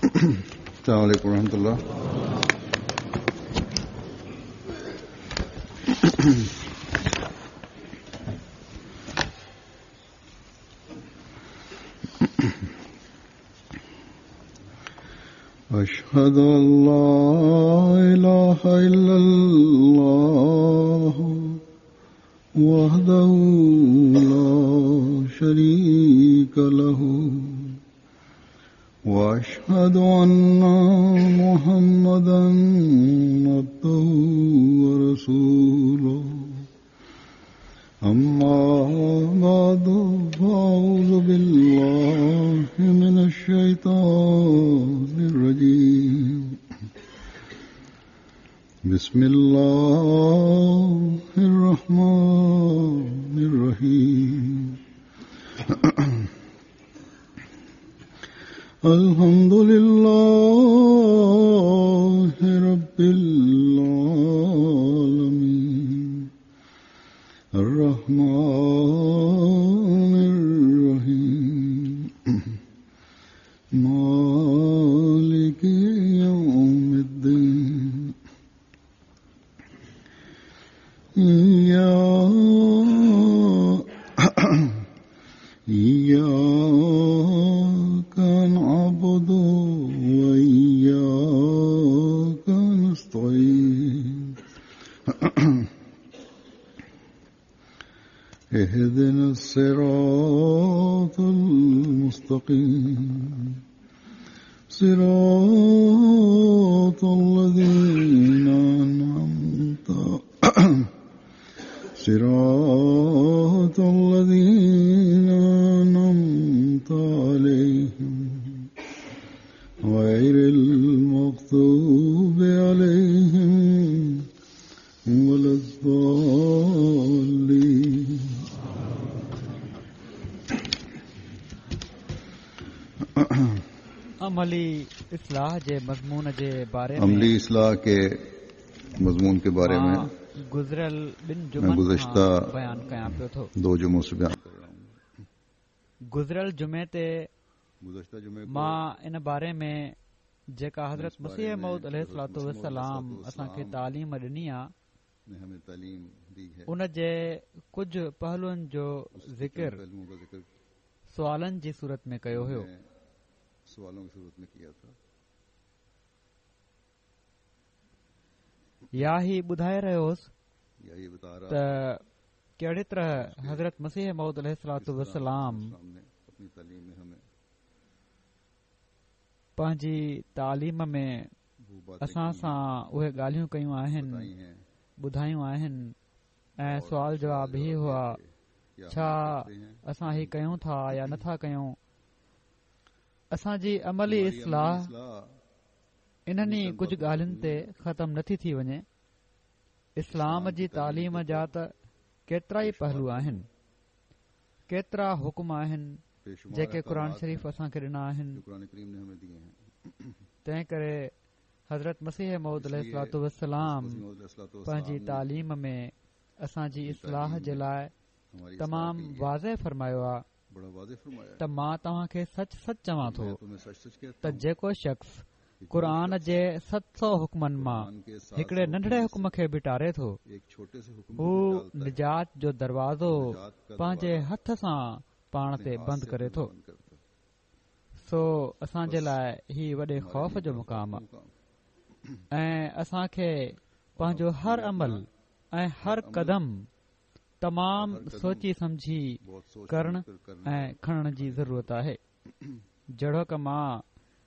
السلام عليڪم ورحمة الله. أشهد أن لا إله إلا الله وحده لا شريك له وأشهد أن محمدا عبده ورسوله. أما بعد، فأعوذ بالله من الشيطان الرجيم. بسم الله الرحمن الرحيم. الحمد لله رب العالمين، الرحمن الرحيم، مالك يوم الدين. إياك نعبد وإياك نستعين. اهدنا الصراط المستقيم، صراط الذين أنعمت صراط الذين أنعمت عليهم، غير المغضوب عليهم ولا الضالين. عملي اصلاح جي مضمون جي باري ۾. عملي اصلاح کے مضمون کے بارے میں گذريل ٻن میں جمعن گزشتہ کان بيان ڪيان پيو ٿو. دو جمعوں سے بیان کر رہا ہوں. گذريل جمعي تي گزشتہ جمعے کو مان ان باري ۾ جيڪا حضرت اس بارے مسيح میں موعود عليه حضرت الصلوة مسيح موعود علیہ والسلام الصلوة اسان کي والسلام تعليم ڏني آ، نے ہمیں تعلیم دی ہے، ان جي ڪجهه پهلوئن جو اس کے چند ذڪر پہلوؤں کا ذکر سوالن جي صورت ۾ ڪيو هيو. میں سوالوں کی صورت میں کیا تھا. يا هي ٻڌائي رهيو هوس یا یہ بتا رہا ته ڪهڙي طرح حضرت مسيح موعود عليه الصلوة کس طرح والسلام اسلام نے اپنی تعلیم میں ہمیں پنهنجي تعليم ۾ وہ باتیں اسان کی ہیں، سان اهي ڳالهيون ڪيون آهن، بتائی ہیں، ٻڌايون آهن ۽ اور سوال سوال جواب هي جواب یہ هئا، تھے، کیا ہم ڇا کرتے ہیں؟ اسان هي ڪيون ٿا يا نٿا ڪيون؟ اسان جي عملي ہماری عملی اصلاح اصلاح انهن ئي چند ڪجهه باتوں ڳالهين تي تي ختم نٿي ٿي وڃي. اسلام اسلام جي جي تعليم تعليم جا جا ته ڪيترا ئي بيشمار پهلو آهن، ڪيترا حڪم آهن بيشمار جيڪي قرآن احڪامات شريف ہیں اسان کي ڏنا آهن. جو قرآن کریم نے ہمیں دیے ہیں. تنهن ڪري حضرت مسيح موعود اس عليه لیے الصلوة والسلام مسیح موعود علیہ الصلوة والسلام پنهنجي نے تعليم ۾ اسان جي اپني اصلاح تعلیم جي میں لاءِ ہماری اصلاح تمام کے لیے واضح فرمايو آ بڑا واضح فرمایا ته مان توهان کي سچ سچ چوان کہ ٿو میں تمہیں سچ سچ کہتا ته ہوں جيڪو شخص کہ جو قرآن شخص جي 700 حڪمن مان قرآن کے 700 هڪڙي ننڍڙي حکموں حڪم سے کي به ٽاري ٿو، ایک چھوٹے سے حکم هو کو بھی ٹالتا ہے، نجات جو دروازو نجات کا پنهنجي دروازہ هٿ سان پاڻ اپنے تي ہاتھ بند سے ڪري اپنے ٿو. بند کرتا ہے. سو اسان جي بس لاءِ هي وڏي ہمارے خوف لیے جو بڑا مقام خوف آ کا مقام ۽ اسان کي اور پنهنجو ہم هر اپنا عمل ۽ ہر هر عمل قدم تمام ہر قدم سوچي سمجهي بہت سوچ ڪرڻ سمجھ کر کرنے ۽ کڻڻ جي ضرورت آهي. جهڙوڪ مان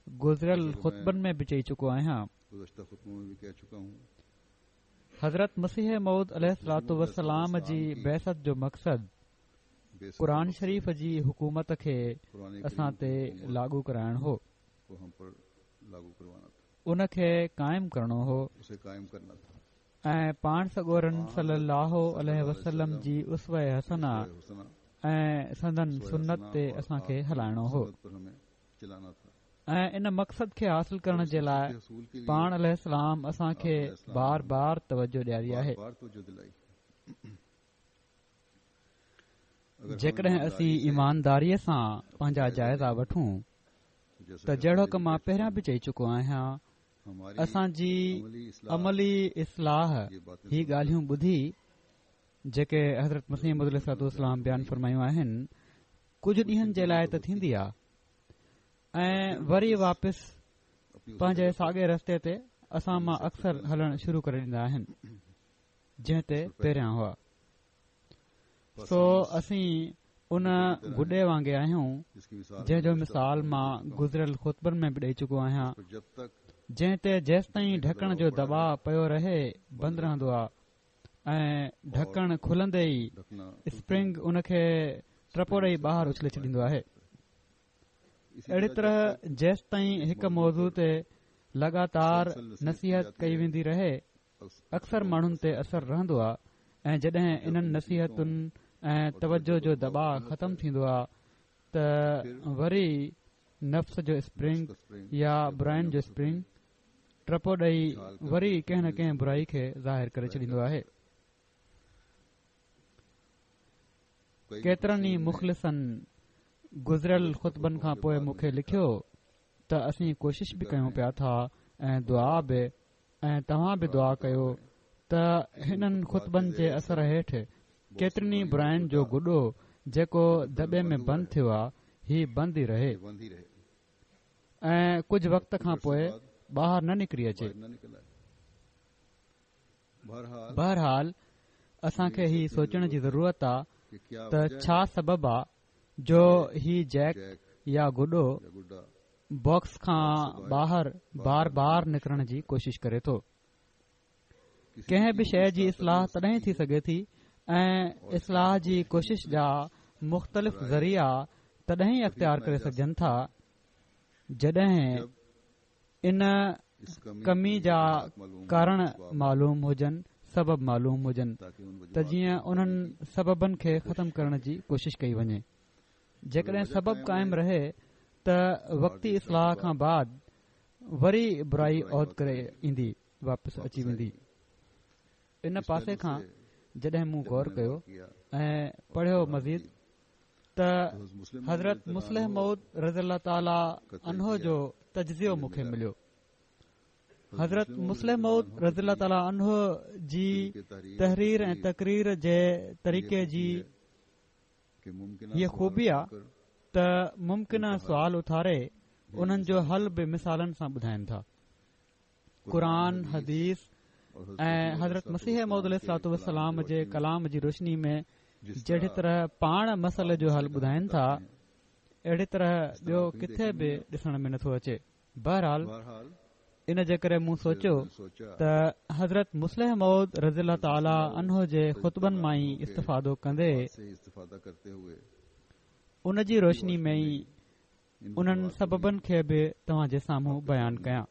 گذريل جیسا کہ میں خطبن ۾ به چئي چڪو آهيان، گزشتہ خطبوں میں بھی کہہ چکا ہوں، حضرت مسيح موعود عليه مسیح الصلوة موعود علیہ والسلام الصلوة جي والسلام کی بعثت جو مقصد بعثت کا قرآن مقصد شريف جي حڪومت کي قرآن اسان کریم تي کی حکومت لاڳو ڪرائڻ هو، کو ہم پر لاڳو کروانا تھا، ان کي قائم ڪرڻو هو اسے قائم کرنا تھا. ۽ پاڻ سڳورن پاڻ صلي الله صلی عليه اللہ علیہ وسلم وسلم جي اسوه حسنه اسوہ حسنہ ۽ سندن اسوہ سنت حسنہ تي اور اسان کي آپ کی هلائڻو هو. سنت پر ہمیں چلانا تھا. ۽ ان مقصد کي حاصل اور ڪرڻ اس جي مقصد لاءِ کے حصول کے لیے پاڻ عليه السلام اسان آپ کي علیہ السلام بار نے بار توجه ڏياري بار آهي. بار توجہ دلائی. اگر ہم جيڪڏهن ایمانداری اسين سے ايمانداريءَ سان اپنا پنهنجا جائزہ جائزا لیں وٺون تو ته جهڙوڪ مان پهريان به چئي چڪو آهيان، اسان جي عملي اصلاح هي ڳالهيون ٻڌي جيڪي حضرت مسيح موعود عليه الصلوة والسلام بيان فرمايون آهن، ڪجهه ڏينهن جي لاء ته ٿيندي آ ۽ وري واپس پنهنجي ساڳئي رستي تي اسان مان اڪثر هلڻ شروع ڪري ڏيندا آهن جنهن تي پهريان هئا. سو اسين ان گڏي وانگي آهيون جنهن جو مثال مان گذريل خطبن ۾ به ڏئي چڪو آهيان جنهن تي جيستائين ڍڪڻ جو دٻاء پيو رهي بند رهندو آهي ۽ ڍڪڻ کلندي ئي اسپرنگ ان کي ٽپو ڏئي ٻاهر اڇلي ڇڏيندو آهي اهڙي طرح جيستائين هڪ موضوع تي لڳاتار نصيحت ڪئي ويندي رهي اڪثر ماڻهن تي اثر رهندو آ ۽ جڏهن انهن نصيحتن ۽ توجه جو دٻاء ختم ٿيندو آ ته وري نفس جو اسپرنگ يا براين جو اسپرنگ ٽپو ڏئي وري ڪنهن نه ڪنهن برائي کي ظاهر ڪري ڇڏيندو آهي. ڪيترن ئي مخلصن گذريل خطبن کان پوء مون کي لکيو ته اسين ڪوشش به ڪيون پيا ٿا ۽ دعا به ۽ توهان به دعا ڪيو ته هنن خطبن جي اثر هيٺ ڪيترين ئي براين جو گڏو جيڪو دٻي ۾ بند ٿيو آ هي بند ئي رهي ۽ ڪجهه وقت کان پوء ٻاهر نه نڪري اچي. بهرحال اسان کي هي سوچڻ جي ضرورت آ ته ڇا سبب آ جو هي جيڪ يا گڏو باڪس کان ٻاهر بار بار نڪرڻ جي ڪوشش ڪري ٿو. ڪنهن به شيء جي اصلاح تڏهن ٿي سگهي ٿي ۽ اصلاح جي ڪوشش جا مختلف ذريعا تڏهن ئي اختيار ڪري سگهجن ٿا جڏهن ان ڪمي جا ڪارڻ معلوم هجن، سبب معلوم هجن ته جيئن انهن سببن کي ختم ڪرڻ جي ڪوشش ڪئي وڃي. جيڪڏهن سبب قائم رهي ته وقتي اصلاح کان بعد وري برائي عود ڪري ايندي واپس اچي ويندي. ان پاسي کان جڏهن مون غور ڪيو ۽ پڙهيو مزيد ته حضرت مصلح موعود رضي الله تعاليٰ عنه جو تجزيو مون کي مليو. حضرت مصلح موعود رضي الله تعاليٰ عنه جي تحرير ۽ تقرير جي طريقي جي هيء خوبي آ ته ممڪنه سوال اٿاري انهن جو حل به مثالن سان ٻڌائين ٿا. قرآن، حديث ۽ حضرت مسيح موعود عليه الصلوة والسلام جي ڪلام جي روشني ۾ جهڙي طرح پاڻ مسئلي جو حل ٻڌائين ٿا، اهڙي طرح ٻيو ڪٿي به ڏسڻ ۾ نٿو اچي. بهرحال ان جي ڪري مون سوچيو ته حضرت مصلح موعود رضي الله تعالٰي عنه جي خطبن مان ئي استفادو ڪندي ان جي روشني ۾ ئي انهن سببن کي به توهان جي سامهون بيان ڪيان.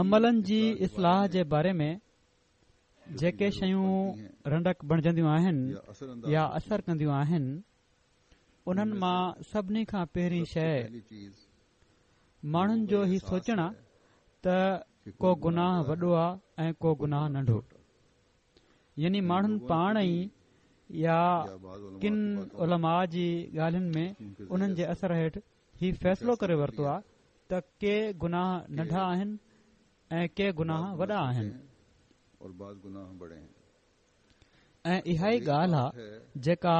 عملن جي اصلاح جي باري ۾ جيڪي شيون رنڊڪ بڻجنديون آهن يا اثر ڪنديون آهن انهن مان سڀني کان پهرين شيء ماڻهن جو هي سوچڻ آ ته ڪو گناهه وڏو آ ۽ ڪو گناهه ننڍو يعني ماڻهن پاڻ ئي يا ڪن علماء جي ڳالهين ۾ انهن جي اثر هيٺ هي فيصلو ڪري ورتو آ ته ڪي گناهه ننڍا آهن ۽ ڪي گناهه وڏا آهن. ۽ اها ئي ڳالهه آ جيڪا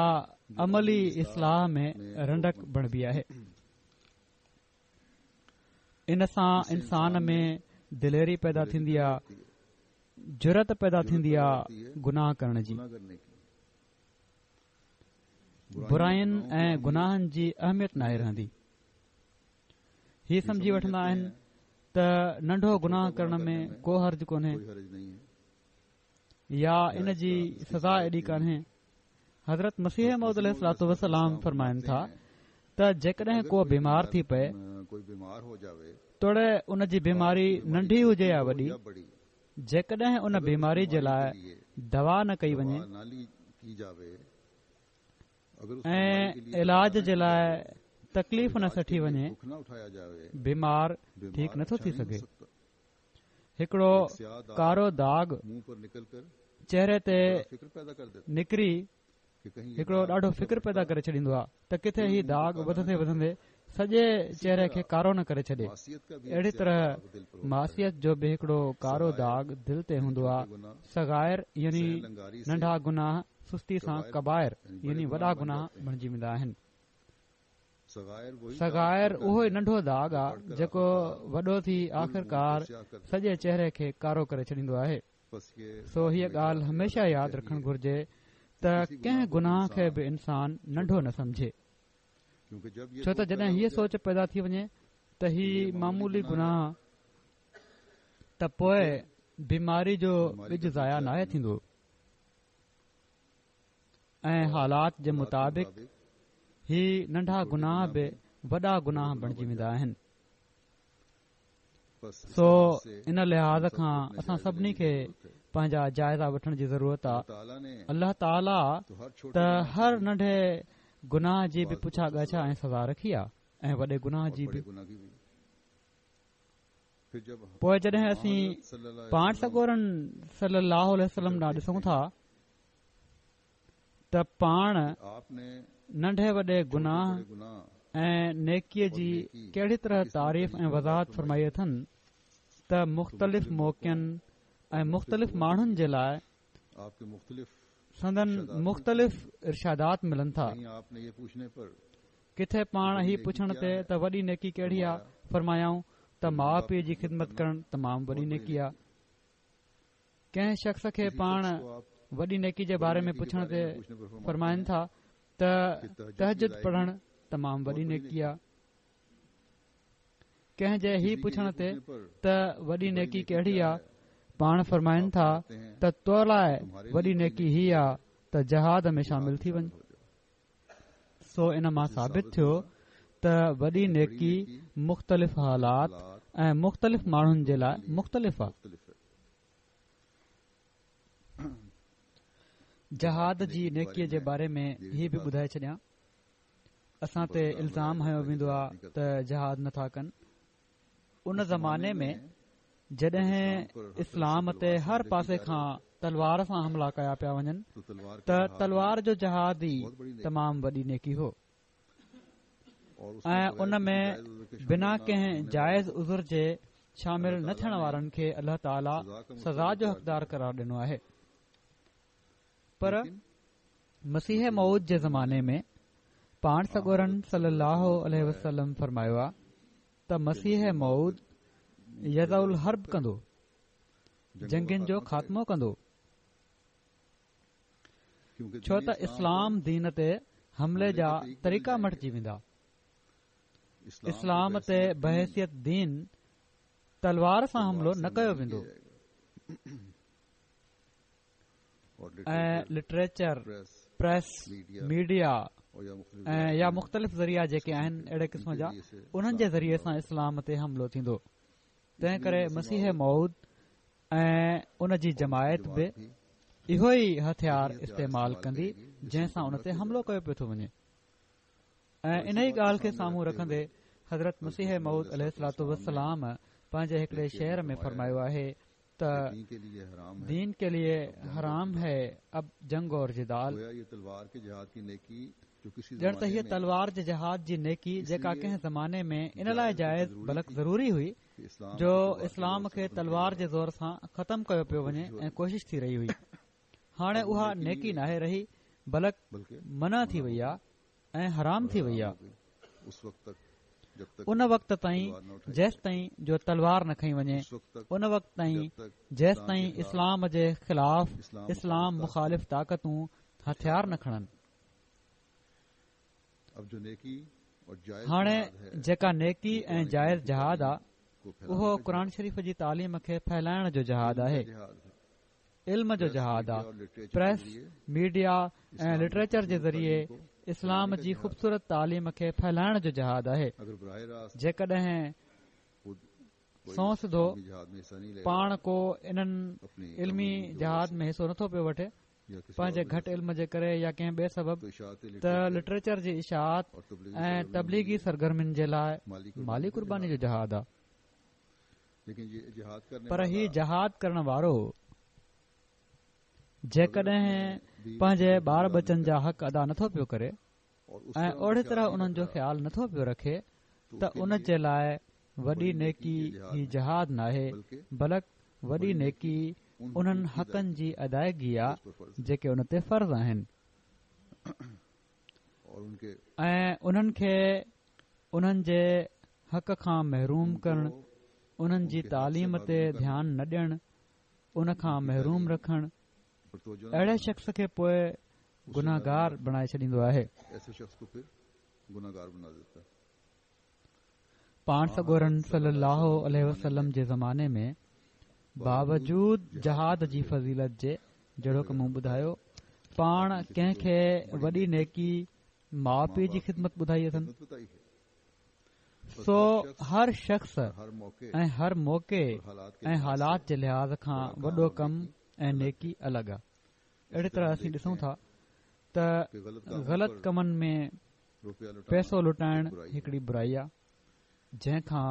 عملي اصلاح ۾ رنڊڪ بڻبي آهي. ان سان انسان ۾ دليري پيدا ٿيندي آ، جرئت پيدا ٿيندي آ گناهه ڪرڻ جي. براين ۽ گناهن جي اهميت ناهي رهندي. هي سمجهي وٺندا آهن ته ننڍو گناهه ڪرڻ ۾ ڪو حرج ڪونهي. يا ان جي سزا ايڏي ڪانهي. حضرت مسيح موعود عليه الصلوة والسلام فرمائن ٿا ته جيڪڏهن ڪو بيمار ٿي پئي توڙي ان جي بيماري ننڍي هجي يا وڏي جيڪڏهن ان بيماري جي لاء دوا نه ڪئي وڃي ۽ علاج جي لاء تڪليف نه سٺي وڃي بيمار ٺيڪ نٿو ٿي سگهي. هڪڙو ڪارو داغ چهري تي نڪري هڪڙو ڏاڍو فڪر پيدا ڪري ڇڏيندو آهي ته ڪٿي هي داغ وڌندي وڌندي سڄي چهري کي ڪارو نه ڪري ڇڏي. اهڙي طرح معصيت جو به هڪڙو ڪارو داغ دل تي هوندو آهي. صغائر يعني ننڍا گناهه سستي سان ڪبائر يعني وڏا گناهه بڻجي ويندا آهن. صغائر اهو ئي ننڍو داغ آ جيڪو وڏو ٿي آخرڪار سڄي چهري کي ڪارو ڪري ڇڏيندو آهي. سو هيء ڳالهه هميشه ياد رکڻ گهرجي ته ڪنهن گناهه کي به انسان ننڍو نه سمجهي. ڇو ته جڏهن هيء سوچ پيدا ٿي وڃي ته هي معمولي گناهه ته پوء بيماري جو ٻج ضايع ناهي ٿيندو ۽ حالات جي مطابق هي ننڍا گناهه به وڏا گناهه بڻجي ويندا آهن. سو ان لحاظ کان اسان سڀني کي پنهنجا جائزا وٺڻ جي ضرورت آ. الله تعاليٰ ته هر ننڍي گناهه جي به پڇا ڳاڇا ۽ سزا رکي آ ۽ وڏي گناهه جي به. پوء جڏهن اسين پاڻ سڳورن صلي الله عليه وسلم ڏانهن ڏسون ٿا ته پاڻ ننڍي وڏي گناهه ۽ نيڪيء جي ڪهڙي طرح تعريف ۽ وضاحت فرمائي اٿن ته مختلف موقعن ۽ مختلف ماڻهن جي لاء سندن مختلف ارشادات ملن ٿا. ڪٿي پاڻ هي پڇڻ تي ته وڏي نيڪي ڪهڙي آ؟ فرمايائون ته ماء پيء جي خدمت ڪرڻ تمام وڏي نيڪي آ. ڪنهن شخص کي پاڻ وڏي نيڪي جي باري ۾ پڇڻ تي فرمائن ٿا ته تهجد پڙهڻ تمام وڏي نيڪي آ. ڪنهن جي هي پڇڻ تي ته وڏي نيڪي ڪهڙي آ؟ پاڻ فرمائن ٿا ته تو لاء وڏي نيڪي هي آ ته جهاد ۾ شامل ٿي وڃ. سو ان مان ثابت ٿيو ته وڏي نيڪي مختلف حالات ۽ مختلف ماڻهن جي لاء مختلف آ. جهاد جي نيڪي جي باري ۾ هي به ٻڌائي ڇڏيان اسان تي الزام هنيو ويندو آ ته جهاد نٿا ڪن ان زماني ۾ جڏهن اسلام تي هر پاسي کان تلوار سان حملا ڪيا پيا وڃن ته تلوار جو جهاد ئي تمام وڏي نيڪي هو ۽ ان ۾ بنا ڪنهن جائز عذر جي شامل نه ٿيڻ وارن کي الله تعاليٰ سزا جو حقدار قرار ڏنو آهي پر مسيح موعود جي زماني ۾ پاڻ سڳورن صلي الله عليه وسلم فرمايو آ ته مسيح موعود يضع الحرب ڪندو، جنگين جو خاتمو ڪندو، ڇو ته اسلام دين تي حملي جا طريقا مٽجي ويندا، اسلام تي بحيثيت دين تلوار سان حملو نه ڪيو ويندو. ۽ لٽريچر، پريس، ميڊيا ۽ يا مختلف ذريعا جيڪي آهن اهڙي قسم جا انهن جي ذريعي سان اسلام تي حملو ٿيندو تنهن ڪري مسيح موعود ۽ ان جي جماعت به اهو ئي هٿيار استعمال ڪندي جنهن سان ان تي حملو ڪيو پيو ٿو وڃي ۽ انهي ڳالهه کي سامهون رکندي حضرت مسيح موعود عليه الصلوة والسلام پنهنجي هڪڙي شعر ۾ فرمايو آهي ته دين ڪي ليي حرام هي اب جنگ اور جدال ڄڻ ته هيء تلوار جي جهاد جي نيڪي جيڪا ڪنهن زماني ۾ ان لاء جائز بلڪ ضروري هئي جو اسلام کي تلوار جي زور سان ختم ڪيو پيو وڃي ۽ ڪوشش ٿي رهي هئي هاڻي اها نيڪي ناهي رهي بلڪ منع ٿي وئي آهي ۽ حرام ٿي وئي آهي ان وقت تائين جيستائين جو تلوار نه کنئي وڃي ان وقت تائين جيستائين اسلام جي خلاف اسلام مخالف طاقتون هٿيار نه کڻن هاڻي جيڪا نيڪي ۽ جائز جهاد آ اهو قرآن شريف جي تعليم کي ڦهلائڻ جو جهاد آهي علم جو جهاد آ. پريس، ميڊيا ۽ لٽريچر جي ذريعي اسلام جي خوبصورت تعليم کي ڦهلائڻ جو جهاد آهي. جيڪڏهن سنئون سڌو پاڻ ڪو انهن علمي جهاد ۾ حصو نٿو پيو وٺي، پنهنجي گهٽ علم جي ڪري يا ڪنهن ٻئي سبب، ته لٽريچر جي اشاعت ۽ تبليغي سرگرمين جي لاء مالي قرباني جو جهاد آ. پر هي جهاد ڪرڻ وارو جيڪڏهن پنهنجي ٻار ٻچن جا حق ادا نٿو پيو ڪري ۽ اوڙي طرح انهن جو خيال نٿو پيو رکي ته ان جي لاء وڏي نيڪي هي جهاد ناهي بلڪ وڏي نيڪي انهن حقن جي ادائگي آ جيڪي ان تي فرض آهن ۽ انهن کي انهن جي حق کان محروم ڪرڻ انهن جي تعليم تي ڌيان نه ڏيڻ ان کان محروم رکڻ اهڙي شخص کي پوء گنهگار بڻائي ڇڏيندو آهي. پاڻ سڳورن صلي الله عليه وسلم جي زماني ۾ باوجود جهاد جي فضيلت جي جهڙوڪ مون ٻڌايو پاڻ ڪنهن کي وڏي نيڪي ماء پيء جي خدمت ٻڌائي اٿن سو هر شخص ۽ هر موقعي ۽ حالات جي لحاظ کان وڏو ڪم ۽ نيڪي الڳ آ اهڙي طرح اسين ڏسون ٿا ته غلط ڪمن ۾ پئسو لٽائڻ هڪڙي برائي آ جنهن کان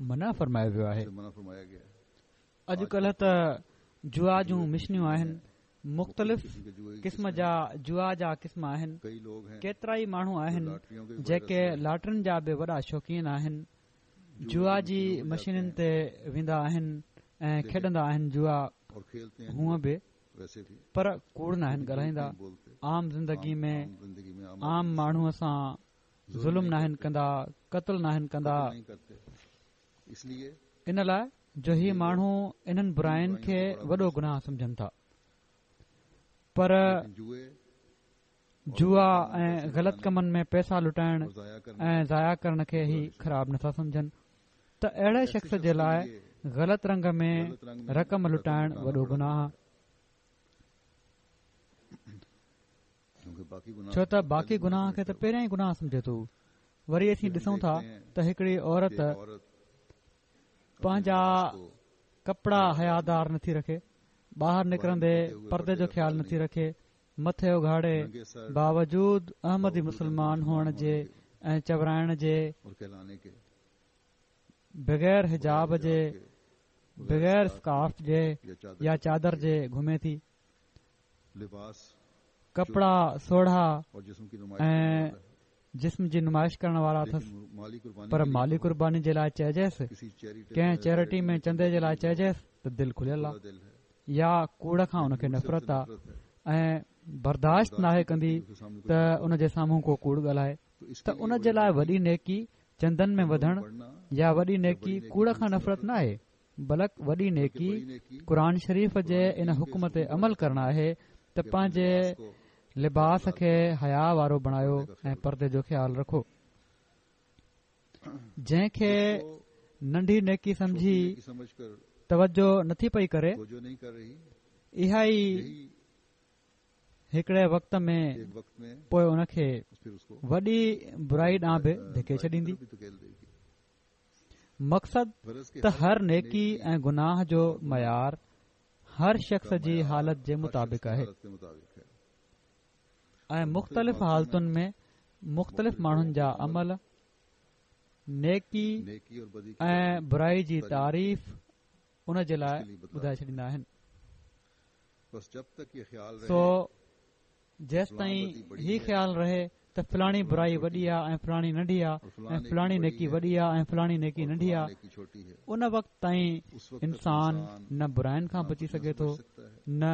منع فرمايو ويو آهي. اڄ ڪلهه ته جوا جون مشنيون آهن مختلف قسم جا جوا جا قسم آهن ڪيترائي ماڻهو آهن جيڪي لاٽرين جا به وڏا شوقين آهن جوا جي مشينن تي ويندا آهن ۽ کيڏندا آهن جوا هونء به پر ڪوڙ ناهن ڳالهائيندا عام زندگي ۾ عام ماڻهوء سان ظلم ناهن ڪندا قتل ناهن ڪندا ان لاء جو هي ماڻهو انهن براين کي وڏو گناهه سمجهن ٿا پر جوا ۽ غلط ڪمن ۾ پئسا لٽائڻ ۽ ضايع ڪرڻ کي هي خراب نٿا سمجهن ته اهڙي شخص جي لاء غلط رنگ ۾ رقم لٽائڻ وڏو گناهه ڇو ته باقي گناهه کي ته پهريان ئي گناهه سمجهي ٿو وري اسين ڏسون ٿا ته هڪڙي عورت پنهنجا ڪپڙا حيادار نٿي رکي ٻاهر نڪرندي پردي جو خيال نٿي رکي مٿي اگهاڙي باوجود احمدي مسلمان هئڻ جي ۽ چورائڻ جي بغير حجاب جي بغير اسڪارف جي يا چادر جي گهمي ٿي ڪپڙا سوڙها ۽ جسم جي نمائش ڪرڻ وارا اٿس پر مالي قرباني جي لاء چئجيس ڪنهن چيرٽي ۾ چندي جي لاء چئجيس ته دل کليل آ يا ڪوڙ کان ان کي نفرت آ ۽ برداشت ناهي ڪندي ته ان جي سامهون ڪو ڪوڙ ڳالهائي ته ان جي لاء وڏي نيڪي چندن ۾ وڌڻ يا وڏي نيڪي ڪوڙ کان نفرت ناهي بلڪ وڏي نيڪي قرآن شريف جي ان حڪم تي عمل ڪرڻ آهي ته پنهنجي لباس کي حيا وارو بڻايو ۽ پردي جو خيال رکو جنهن کي ننڍي نيڪي سمجهي توجه نٿي پئي ڪري اها ئي هڪڙي وقت ۾ پوء ان کي وڏي برائي ڏانهن به ڌڪي ڇڏيندي مقصد ته هر نيڪي ۽ گناهه جو معيار هر شخص جي حالت جي مطابق آهي ۽ مختلف حالتن ۾ مختلف ماڻهن جا عمل نيڪي ۽ برائي جي تعريف ان جي لاء ٻڌائي ڇڏيندا آهن سو جيستائين هي خيال رهي ته فلاڻي برائي وڏي آ ۽ فلاڻي ننڍي آ ۽ فلاڻي نيڪي وڏي آ ۽ فلاڻي نيڪي ننڍي آ ان وقت تائين انسان نه براين کان بچي سگهي ٿو نه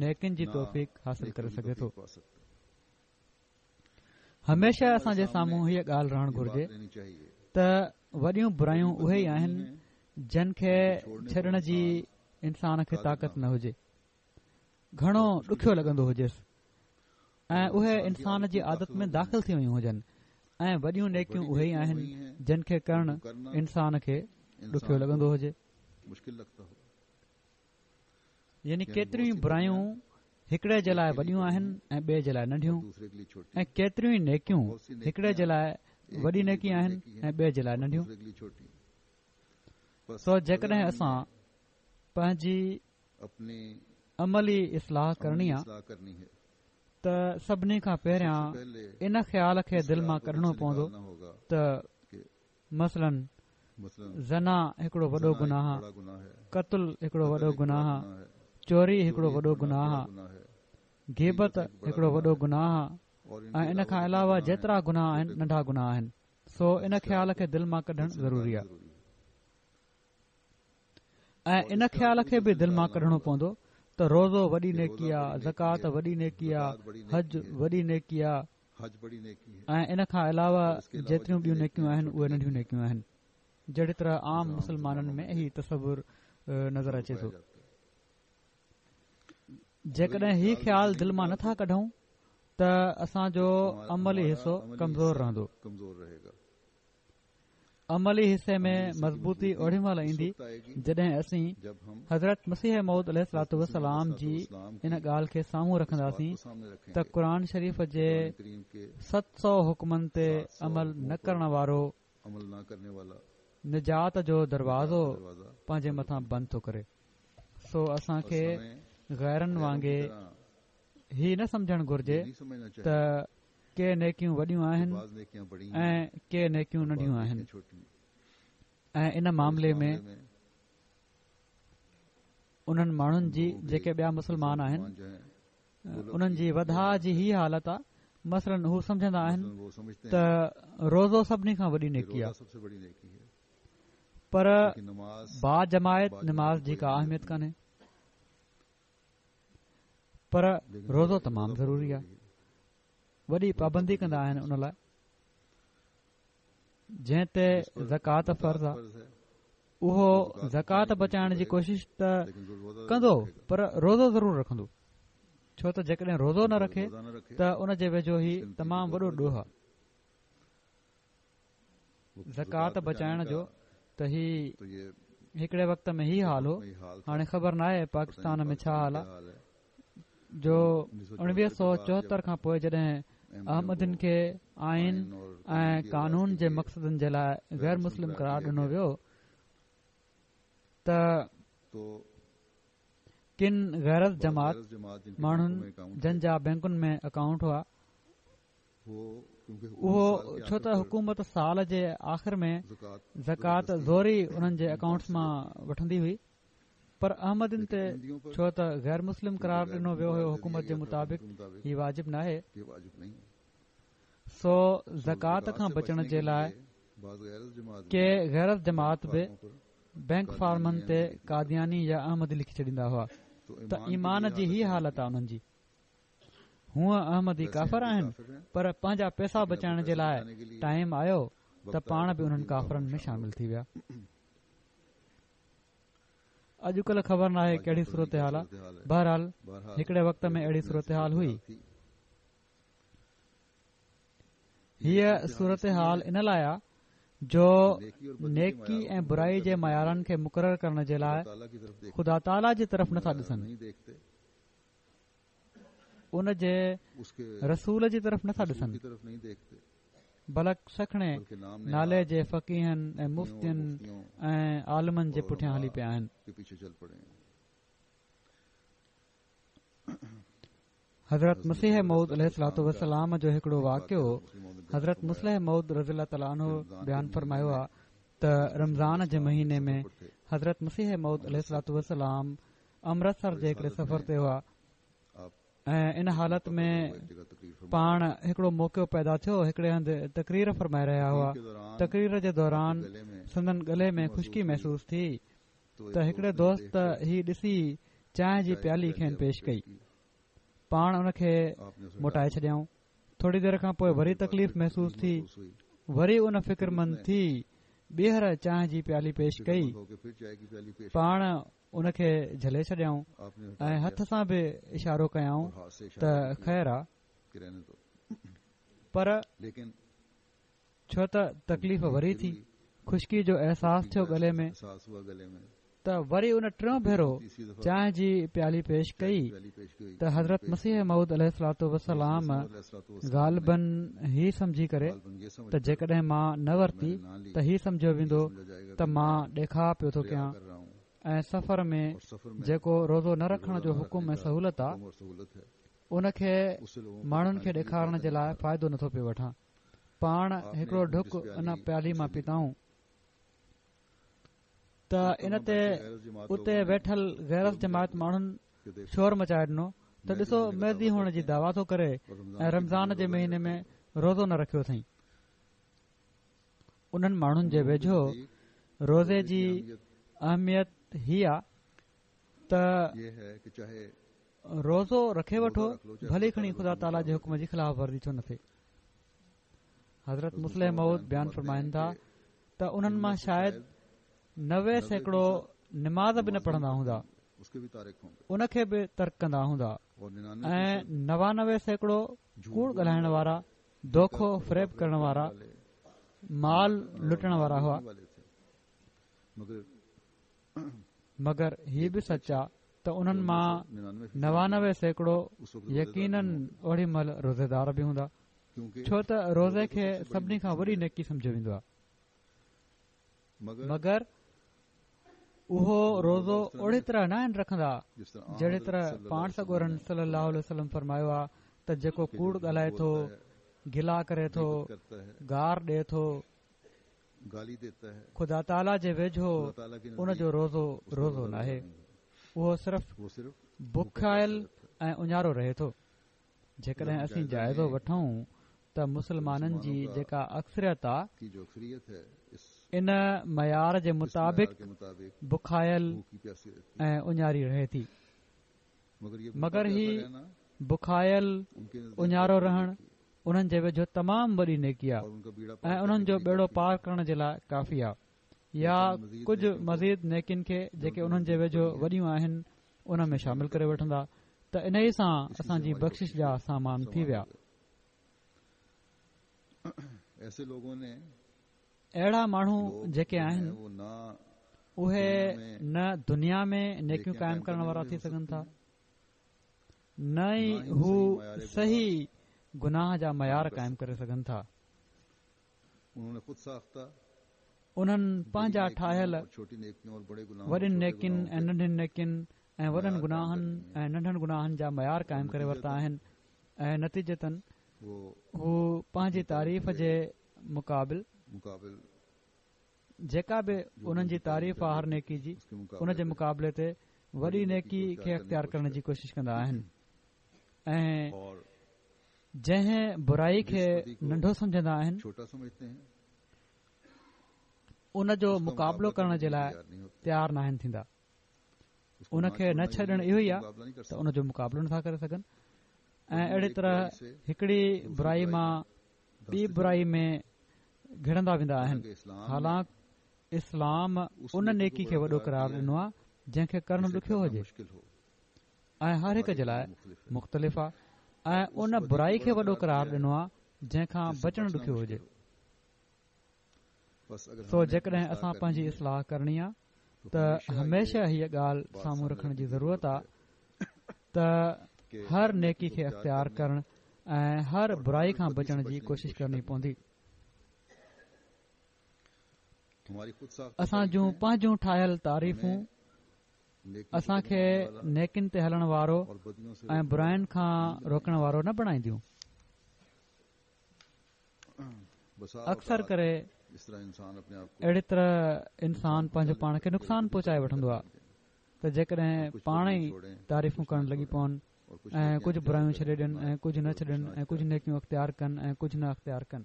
نيڪين جي توفيق حاصل ڪري سگهي ٿو. هميشه اسان جي سامهون هيء ڳالهه رهڻ گهرجي ته وڏيون برايون اهي ئي آهن جن کي ڇڏڻ جي انسان کي طاقت نه هجي. گهڻو ڏکيو لڳندو هجيس ۽ اهي انسان جي عادت ۾ داخل ٿي ويون هجن ۽ وڏيون نيڪيون اهي ئي آهن جن کي ڪرڻ انسان کي ڏکيو لڳندو هجي يعني ڪيتريون ئي برايون هڪڙي جي لاء وڏيون آهن ۽ ٻئي جي لاء ننڍيون ۽ ڪيتريون ئي نيڪيون هڪڙي جي لاء وڏي نيڪي آهن ۽ ٻئي جي لاء ننڍيون سو جيڪڏهن اسان پنهنجي عملي اصلاح ڪرڻي آ ته سڀني کان پهريان ان خيال کي دل مان ڪڍڻو پوندو ته مثلاً زنا هڪڙو وڏو گناهه آ، قتل هڪڙو وڏو گناهه آ، چوري هڪڙو وڏو گناهه آ. غيبت هڪڙو وڏو گناهه آ ۽ ان کان علاوه جيترا گناهه آهن ننڍا گناهه آهن سو ان خيال کي دل مان ڪڍڻ ضروري آ ۽ ان خيال کي به دل مان ڪڍڻو پوندو ته روزو وڏي نيڪي آ زڪوات وڏي نيڪي آ حج وڏي نيڪي آ ۽ ان کان علاوه جيتريون ٻيون نيڪيون آهن اهي ننڍيون نيڪيون آهن جهڙي طرح عام مسلمانن ۾ هي تصور نظر اچي ٿو. جيڪڏهن هي خيال دل مان نٿا ڪڍون ته اسان جو عملي حصو ڪمزور رهندو. عملي حصي ۾ مضبوطي اوڏي مهل ايندي جڏهن اسين حضرت مسيح موعود عليه الصلوة والسلام جي ان ڳالهه کي سامهون رکنداسين ته قرآن شريف جي 700 حڪمن تي عمل نه ڪرڻ وارو نجات جو دروازو پنهنجي مٿان بند ٿو ڪري. سو اسان کي غيرن وانگي هي نه سمجهڻ گهرجي ته ڪي نيڪيون وڏيون آهن ۽ ڪي نيڪيون ننڍيون آهن ۽ ان معاملي ۾ انهن ماڻهن جي جيڪي ٻيا مسلمان آهن انهن جي وڌاء جي هي حالت آ مثلاً هو سمجهندا آهن ته روزو سڀني کان وڏي نيڪي آ پر باجماعت نماز جي ڪا اهميت ڪانهي پر روزو تمام ضروري آ وڏي پابندي ڪندا آهن ان لاء جنهن تي زڪوات فرض آ اهو زڪوات بچائڻ جي ڪوشش ته ڪندو پر روزو ضرور رکندو ڇو ته جيڪڏهن روزو نه رکي ته ان جي ويجهو هي تمام وڏو ڏوهه آ زڪوات بچائڻ جو ته هي هڪڙي وقت ۾ هي حال هو هاڻي خبر ناهي پاڪستان ۾ ڇا حال آ جو 1974 کان پوء جڏهن احمدين کي آئين ۽ قانون جي مقصدن جي لاء غير مسلم قرار ڏنو ويو ته ڪن غير از جماعت ماڻهن جن جا بئنڪن ۾ اڪائونٽ هئا اهو ڇو ته حڪومت سال جي آخر ۾ زڪوات زوري انهن جي اڪائونٽس مان وٺندي هئي پر احمدين تي ڇو ته غير مسلم قرار ڏنو ويو هيو حڪومت جي مطابق هي واجب ناهي سو زڪوات کان بچڻ جي لاء ڪي غير از جماعت به بئنڪ فارمن تي قادياني يا احمدي لکي ڇڏيندا هئا ته ايمان جي هي حالت آ انهن جي هونء احمدي ڪافر آهن پر پنهنجا پئسا بچائڻ جي لاء ٽائيم آيو ته پاڻ به انهن ڪافرن ۾ شامل ٿي ويا. اڄڪلهه خبر ناهي ڪهڙي صورتحال آ بهرحال هڪڙي وقت ۾ اهڙي صورتحال هئي. هيء صورتحال ان لاء آ جو نيڪي ۽ برائي جي معيارن کي مقرر ڪرڻ جي لاء خدا تعاليٰ جي طرف نٿا ڏسن. ان جي رسول جي طرف نٿا ڏسن بلڪ سکڻي نالي جي فقيهن ۽ مفتين ۽ عالمن جي پٺيان هلي پيا آهن. حضرت مسيح موعود عليه الصلوة والسلام جو هڪڙو واقعو حضرت مصلح موعود رضي الله تعالٰي عنه بيان فرمايو آهي ته رمضان جي مهيني ۾ حضرت مسيح موعود عليه الصلوة والسلام امرتسر جي هڪڙي سفر تي هئا ۽ ان حالت ۾ پاڻ هڪڙو موقعو پيدا ٿيو هڪڙي هنڌ تقرير فرمائي رهيا هئا تقرير جي دوران سندن ڳلي ۾ خشڪي محسوس ٿي ته هڪڙي دوست هي ڏسي چانهه جي پيالي کين پيش ڪئي پاڻ ان کي موٽائي ڇڏيائون ٿوري دير کان پوء وري تڪليف محسوس ٿي وري ان فڪرمند ٿي ٻيهر چانهه جي پيالي پيش ڪئي پاڻ ان کي جهلي ڇڏيائون ۽ هٿ سان به اشارو ڪيائون ته خير آ پر ڇو ته تڪليف وري ٿي، خشڪي جو احساس ٿيو ڳلي ۾، ته وري ان ٽيون ڀيرو چانهه جي پيالي پيش ڪئي ته حضرت مسيح موعود عليه الصلوة والسلام غالباً هي سمجهي ڪري ته جيڪڏهن مان نه ورتي ته هي سمجهيو ويندو ته مان ڏيکاء پيو ٿو ڪيان ۽ سفر ۾ جيڪو روزو نه رکڻ جو حڪم ۽ سهولت آ ان کي ماڻهن کي ڏيکارڻ جي لاء فائدو نٿو پيو وٺان. پاڻ هڪڙو ڍڪ ان پيالي مان پيتائون ته ان تي اتي ويٺل غير از جماعت ماڻهن شور مچائي ڏنو. ته ڏسو مهدي هئڻ جي دعويٰ ٿو ڪري ۽ رمضان جي مهيني ۾ روزو نه رکيو اٿئين. انهن ماڻهن جي ويجهو روزي جي اهميت هي آ ته روزو رکي وٺو ڀلي کڻي خدا تعاليٰ جي حڪم جي خلاف ورزي ڇو نه ٿئي. حضرت مصلح موعود بيان فرمائن ٿا ته انهن مان شايد 90% نماز به نه پڙهندا هوندا، ان کي به ترڪ ڪندا هوندا ۽ 99% ڪوڙ ڳالهائڻ وارا، دوکو فريب ڪرڻ وارا، مال لٽڻ وارا هئا. مگر هي به سچ آ ته انهن مان 99% يقينن اوڏي مهل روزيدار به هوندا، ڇو ته روزي کي سڀني کان وڏي نيڪي سمجهيو ويندو آ. مگر اهو روزو اهڙي طرح ناهن رکندا جهڙي طرح پاڻ سڳورن صلي الله عليه وسلم فرمايو آ ته جيڪو ڪوڙ ڳالهائي ٿو، گلا ڪري ٿو، گار ڏئي ٿو، خدا تعاليٰ جي ويجهو ان جو روزو روزو ناهي، اهو صرف بکايل ۽ اڃارو رهي ٿو. جيڪڏهن اسين جائزو وٺون ته مسلمانن جي جيڪا اڪثريت آ ان معيار جي مطابق بکايل ۽ اڃاري رهي ٿي مگر هي بکايل اڃارو رهڻ انهن جي ويجهو تمام وڏي نيڪي آ ۽ انهن جو ٻيڙو پار ڪرڻ جي لاء ڪافي آ يا ڪجهه مزيد نيڪين کي جيڪي انهن جي ويجهو وڏيون آهن ان ۾ شامل ڪري وٺندا ته انهي سان اسان جي بخشش جا سامان ٿي ويا. اهڙا ماڻهو جيڪي آهن اهي نه دنيا ۾ نيڪيون قائم ڪرڻ وارا ٿي سگهن ٿا نه ئي هو صحيح گناهه جا معيار قائم ڪري سگهن ٿا. انهن پنهنجا ٺاهيل وڏين نيڪين ۽ ننڍين نيڪين ۽ وڏن گناهن ۽ ننڍن گناهن جا معيار قائم ڪري ورتا آهن ۽ نتيجتن هو پنهنجي تعريف جي مقابل جيڪا به انهن جي تعريف آ هر نيڪي جي ان جي مقابلي تي وڏي نيڪي کي اختيار ڪرڻ جي ڪوشش ڪندا آهن ۽ جنهن برائي کي ننڍو سمجهندا آهن ان جو مقابلو ڪرڻ جي لاء تيار ناهن ٿيندا ان کي نه ڇڏڻ اهو ئي آهي ته ان جو مقابلو نٿا ڪري سگهن ۽ اهڙي طرح هڪڙي برائي مان ٻي برائي ۾ گهڙندا ويندا آهن حالانڪ اسلام ان نيڪي کي وڏو قرار ڏنو آهي جنهن کي ڪرڻ ڏکيو هجي ۽ هر هڪ جي لاء مختلف آهي ۽ ان برائي کي وڏو قرار ڏنو آهي جنهن کان بچڻ ڏکيو هجي سو جيڪڏهن اسان پنهنجي اصلاح ڪرڻي آ ته هميشه هيء ڳالهه سامهون رکڻ جي ضرورت آ ته هر نيڪي کي اختيار ڪرڻ ۽ هر برائي کان بچڻ جي ڪوشش ڪرڻي پوندي. اسان جون پنهنجون ٺاهيل تعريفون اسان کي نيڪين تي هلڻ وارو ۽ براين کان روڪڻ وارو نه بڻائينديون. اڪثر ڪري اهڙي طرح انسان پنهنجو پاڻ کي نقصان پهچائي وٺندو آهي ته جيڪڏهن پاڻ ئي تعريفون ڪرڻ لڳي پون ۽ ڪجهه برايون ڇڏي ڏين ۽ ڪجهه نه ڇڏين ۽ ڪجهه نيڪيون اختيار ڪن ۽ ڪجهه نه اختيار ڪن.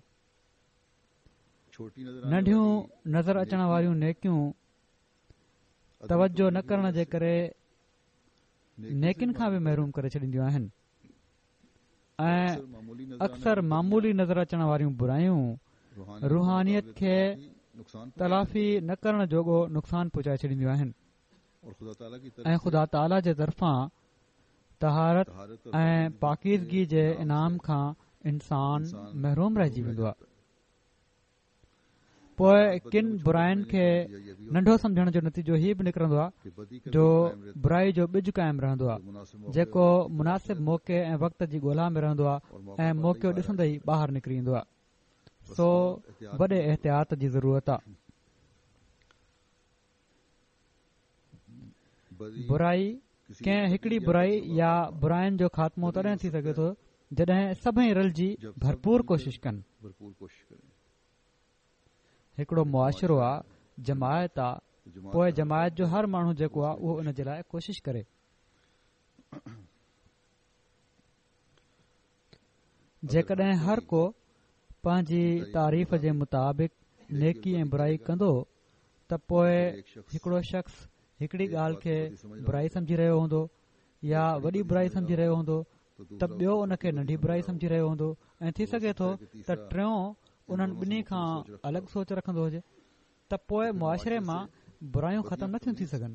ننڍيون نظر اچڻ واريون نيڪيون توجه نه ڪرڻ جي ڪري نيڪين کان به محروم ڪري ڇڏينديون آهن. ۽ اڪثر معمولي نظر اچڻ واريون برايون روحانيت کي تلافي نه ڪرڻ جوڳو نقصان پهچائي ڇڏينديون آهن ۽ خدا تعاليٰ جي طرفان طهارت ۽ پاڪيزگي جي انعام کان انسان محروم رهجي ويندو آهي. پوء ڪن براين کي ننڍو سمجهڻ جو نتيجو هي به نڪرندو آهي جو برائي جو ٻج قائم رهندو آهي جيڪو مناسب موقعي ۽ وقت جي ڳولا ۾ رهندو آهي ۽ موقعو ڏسندي ئي ٻاهر نڪري ايندو آهي سو وڏي احتياط جي ضرورت آهي برائي ڪنهن هڪڙي برائي يا براين جو خاتمو تڏهن ٿي سگهي ٿو جڏهن سڀئي رلجي ڀرپور ڪوشش ڪن. هڪڙو معاشرو آ، جماعت آ، پوء جماعت جو هر ماڻهو جيڪو آ اهو ان جي لاء ڪوشش ڪري. جيڪڏهن هر ڪو پنهنجي تعريف جي مطابق نيڪي ۽ برائي ڪندو ته پوء هڪڙو شخص هڪڙي ڳالهه کي برائي سمجهي رهيو هوندو يا وڏي برائي سمجهي رهيو هوندو ته ٻيو ان کي ننڍي برائي سمجهي رهيو هوندو ۽ ٿي سگهي ٿو ته ٽيون انهن ٻنهي کان الڳ سوچ رکندو هجي ته پوء معاشري مان برايون ختم نٿيون ٿي سگهن.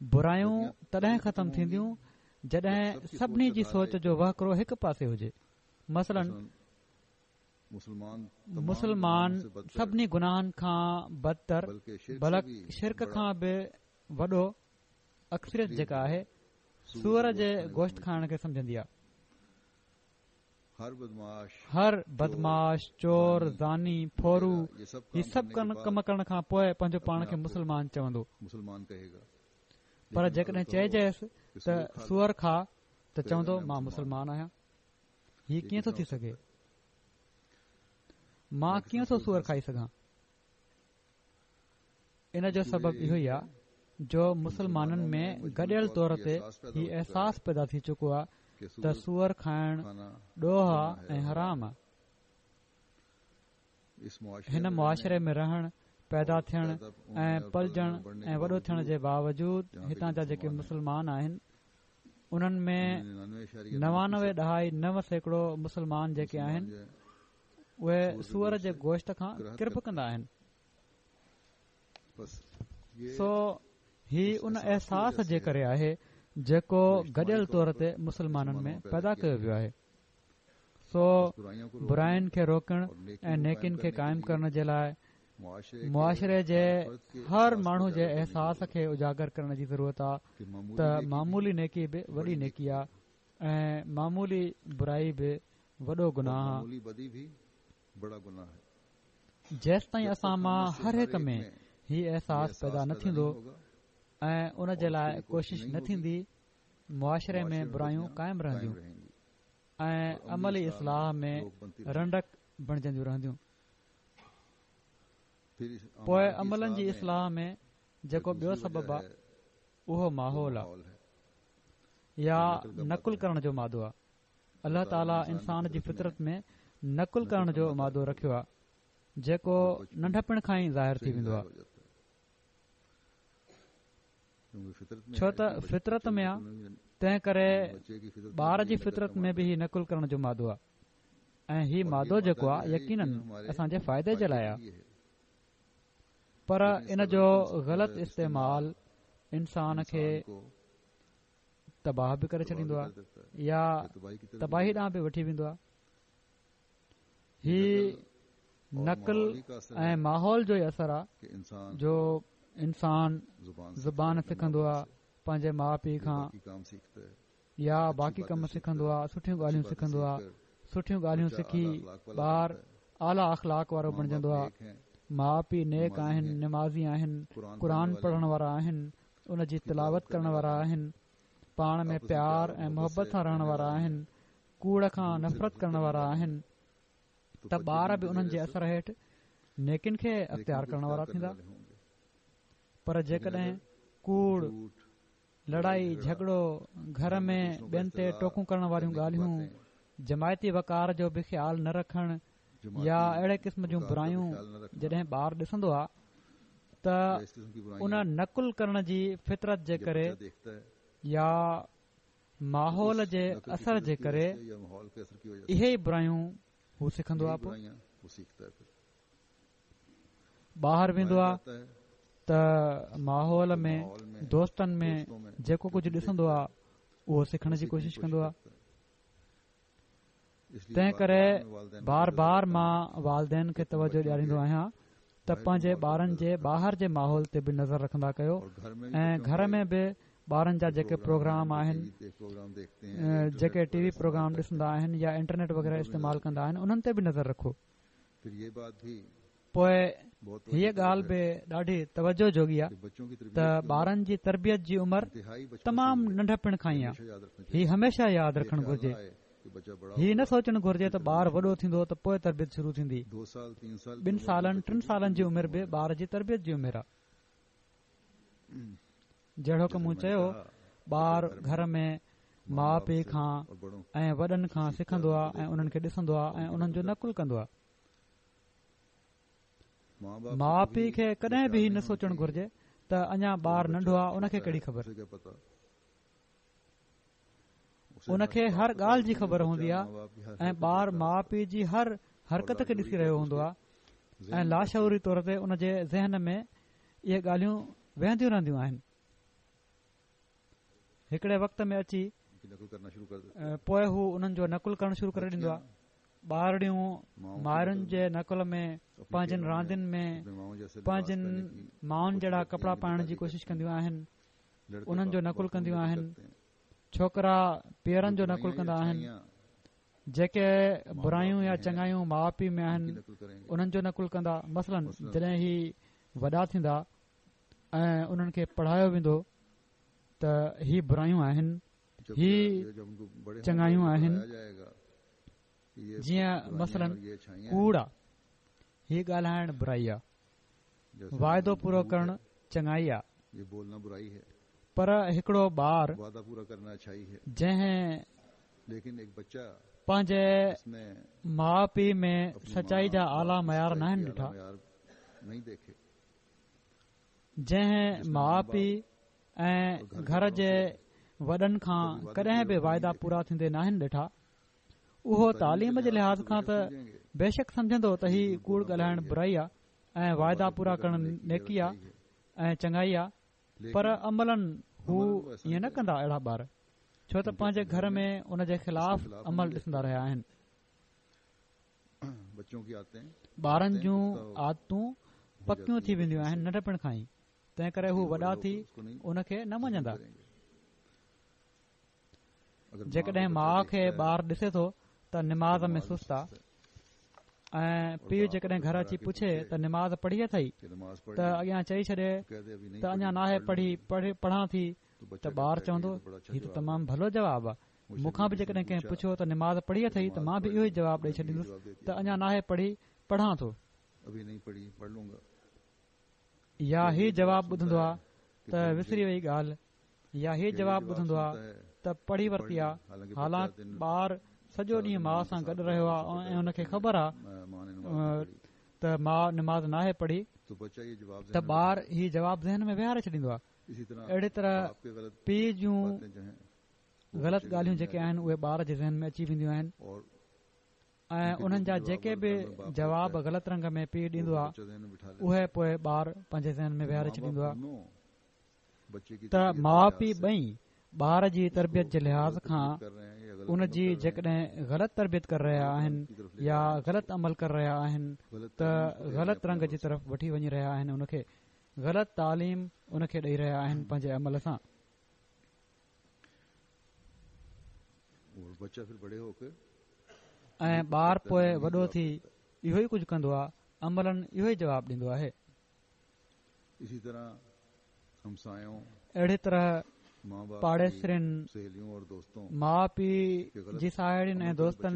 برايون تڏهن ختم ٿينديون جڏهن سڀني جي سوچ جو وهڪرو هڪ پاسي هجي. مثلاً مسلمان سڀني گناهن کان بدتر بلڪ شرڪ کان به وڏو اڪثريت جيڪا آهي سوئر جي گوشت کائڻ کي سمجهندي آهي. هر بدمعاش، چور، زاني، ڦورو هي سڀ ڪم ڪرڻ کان پوء پنهنجو پاڻ کي مسلمان چوندو. پر جيڪڏهن چئجيس ته سوئر کاء ته چوندو مان مسلمان آهيان. هي ڪيئن ٿو ٿي سگهي؟ مان ڪيئن ٿو سوئر کائي سگهان؟ ان جو سبب اهو ئي آهي جو مسلمانن ۾ گڏيل طور تي هي احساس پيدا ٿي چڪو آهي ته سوئر کائڻ ڏوهه آهي ۽ حرام آهي. هن معاشري ۾ رهڻ، پيدا ٿيڻ ۽ پلجڻ ۽ وڏو ٿيڻ جي باوجود هتان جا جيڪي مسلمان آهن انهن ۾ 99.9% مسلمان جيڪي آهن اهي سوئر جي گوشت کان ڪرڀ ڪندا آهن. سو هي ان احساس جي ڪري آهي جيڪو گڏيل طور تي مسلمانن ۾ پيدا ڪيو ويو آهي. سو براين کي روڪڻ ۽ نيڪين کي قائم ڪرڻ جي لاء معاشري جي هر ماڻهو جي احساس کي اجاگر ڪرڻ جي ضرورت آهي ته معمولي نيڪي به وڏي نيڪي آهي ۽ معمولي برائي به وڏو گناهه آ. جيستائين اسان مان هر هڪ ۾ هي احساس پيدا نه ٿيندو ۽ ان جي لاء ڪوشش نه ٿيندي، معاشري ۾ برايون قائم رهنديون ۽ عملي اصلاح ۾ رنڊڪ بڻجنديون رهنديون. پوء عملن جي اصلاح ۾ جيڪو ٻيو سبب آ، اهو ماحول آ يا نقل ڪرڻ جو مادو آ. الله تعاليٰ انسان جي فطرت ۾ نقل ڪرڻ جو مادو رکيو آهي جيڪو ننڍپڻ کان ئي ظاهر ٿي ويندو آهي ڇو ته فطرت ۾ آهي تنهن ڪري ٻار جي فطرت ۾ به هي نقل ڪرڻ جو مادو آهي ۽ هي مادو جيڪو آهي يقينن اسان جي فائدي جي لاء آهي پر ان جو غلط استعمال انسان کي تباهه به ڪري ڇڏيندو آهي يا تباهي ڏانهن به وٺي ويندو آهي هي نقل ۽ ماحول جو ئي اثر آهي جو انسان زبان سکندو آهي پنهنجي ماء پيء کان يا باقي ڪم سکندو آهي سٺيون ڳالهيون سکندو آهي سٺيون ڳالهيون سکي ٻار اعليٰ اخلاق وارو بڻجندو آهي ماء پيء نيڪ آهن نمازي آهن قرآن پڙهڻ وارا آهن ان جي تلاوت ڪرڻ وارا آهن، پاڻ ۾ پيار ۽ محبت سان رهڻ وارا آهن، ڪوڙ کان نفرت ڪرڻ وارا آهن ته ٻار به انهن جي اثر هيٺ نيڪين کي اختيار ڪرڻ وارا ٿيندا. پر جيڪڏهن ڪوڙ، لڙائي جهڳڙو، گهر ۾ ٻين تي ٽوڪون ڪرڻ واريون ڳالهيون، جماعتي وقار جو به خيال نه رکڻ يا اهڙي قسم جون برايون جڏهن ٻار ڏسندو آهي ته ان نقل ڪرڻ جي فطرت جي ڪري يا ماحول جي اثر جي ڪري اهي ئي برايون هو سکندو آهي پوء ٻاهر ويندو آهي ته ماحول ۾ دوستن ۾ جيڪو ڪجهه ڏسندو آهي اهو سکڻ جي ڪوشش ڪندو آهي تنهن ڪري بار بار مان والدين کي توجه ڏياريندو آهيان ته پنهنجي ٻارن جي ٻاهر جي ماحول تي به نظر رکندا ڪيو ۽ گهر ۾ به ٻارن جا جيڪي پروگرام آهن جيڪي ٽي وي پروگرام ڏسندا آهن يا انٽرنيٽ وغيره استعمال ڪندا آهن انهن تي به نظر رکو پوء هيء ڳالهه به ڏاڍي توجه جوڳي آهي ته ٻارن جي تربيت جي عمر تمام ننڍپڻ کان ئي آهي. هي هميشه ياد رکڻ گهرجي. هي نه سوچڻ گهرجي ته ٻار وڏو ٿيندو ته پوء تربيت شروع ٿيندي. ٻن سالن ٽن سالن جي عمر به ٻار جي تربيت جي عمر آهي. جهڙوڪ مون چيو ٻار گهر ۾ ماء پيء کان ۽ وڏن کان سکندو آهي ۽ انهن کي ڏسندو آهي ۽ انهن جو نقل ڪندو آهي. ماء پيء کي ڪڏهن به هي نه سوچڻ گهرجي ته اڃا ٻار ننڍو آهي ان کي ڪهڙي خبر. ان کي هر ڳالهه جي خبر هوندي آهي ۽ ٻار ماء پيء جي هر حرڪت کي ڏسي رهيو هوندو آهي ۽ لاشعوري طور تي ان جي ذهن ۾ اهي ڳالهيون ويهنديون رهنديون آهن. هڪڙي وقت ۾ اچي پوء هو انهن جو نقل ڪرڻ شروع ڪري ڏيندو آهي. ٻارڙيون مائرن جي نقل ۾ پنهنجين راندين ۾ پنهنجين مائن جهڙا ڪپڙا پائڻ جي ڪوشش ڪنديون آهن. انهن جو نقل ڪنديون آهن. ڇوڪرا پيئرن جو نقل ڪندا آهن. جيڪي برايون يا چڱايون ماء پيء ۾ آهن انهن جو نقل ڪندا. مثلاً جڏهن هي وڏا ٿيندا ۽ انهن کي پڙهايو ويندو ته هي برايون آهن هي چڱايون آهن جيئن مثلاً ڪوڙ آ هي ڳالهائڻ برائي آ واعدو پورو ڪرڻ چڱائي آ پر هڪڙو ٻار جنهن پنهنجي ماء پيء ۾ سچائي جا اعليٰ معيار ناهن ڏٺا جنهن ماء پيء ۽ گهر جي وڏن کان ڪڏهن به واعدا پورا ٿيندي ناهن ڏٺا اهو تعليم جي لحاظ کان ته بيشڪ سمجهندو ته هي ڪوڙ ڳالهائڻ برائي آ ۽ واعدا پورا ڪرڻ نيڪي آ ۽ چڱائي آ پر عملاً هو ائين نه ڪندا اهڙا ٻار ڇو ته پنهنجي گهر ۾ ان جي خلاف عمل ڏسندا رهيا آهن. ٻارن جون عادتون پڪيون ٿي وينديون آهن ننڍپڻ کان ئي تنهن ڪري هو وڏا ٿي ان کي نه مڃندا. جيڪڏهن ماء کي ٻار ڏسي ٿو ته نماز ۾ سست آ ۽ پيء جيڪڏهن گهر اچي پڇي ته نماز پڙهي اٿئي ته اڳيان چئي ڇڏي ته اڃا ناهي پڙهي پڙهان ٿي ته ٻار چوندو هي ته تمام ڀلو جواب آ مون کان به جيڪڏهن ڪنهن پڇيو ته نماز پڙهي اٿئي ته مان به اهو ئي جواب ڏئي ڇڏيندس ته اڃا ناهي پڙهي پڙهان ٿو. يا هي جواب ٻڌندو آ ته وسري وئي ڳالهه يا هي جواب ٻڌندو آ ته پڙهي ورتي آ حالانڪ ٻار سڄو ڏينهن ماء سان گڏ رهيو آ ۽ ان کي خبر آ ته ماء نماز ناهي پڙهي ته ٻار هي جواب ذهن ۾ ويهاري ڇڏيندو آ اهڙي طرح پيء جون غلط ڳالهيون جيڪي آهن اهي ٻار جي ذهن ۾ اچي وينديون آهن ۽ انهن جا جيڪي به جواب غلط رنگ ۾ پيء ڏيندو آهي اهي پوء ٻار پنهنجي ذهن ۾ ويهاري ڇڏيندو آهي ته ماء پيء ٻئي ٻار جي تربيت جي لحاظ کان ان جي جيڪڏهن غلط تربيت ڪري رهيا آهن يا غلط عمل ڪري رهيا آهن ته غلط رنگ جي طرف وٺي وڃي رهيا آهن ان کي غلط تعليم ان کي ڏئي رهيا آهن پنهنجي عمل سان. ۽ ٻار پوء وڏو ٿي اهو ئي ڪجهه ڪندو آهي عملاً اهو ئي جواب ڏيندو آهي. اهڙي طرح پاڙيسرين، ماء پيء جي ساهيڙين ۽ دوستن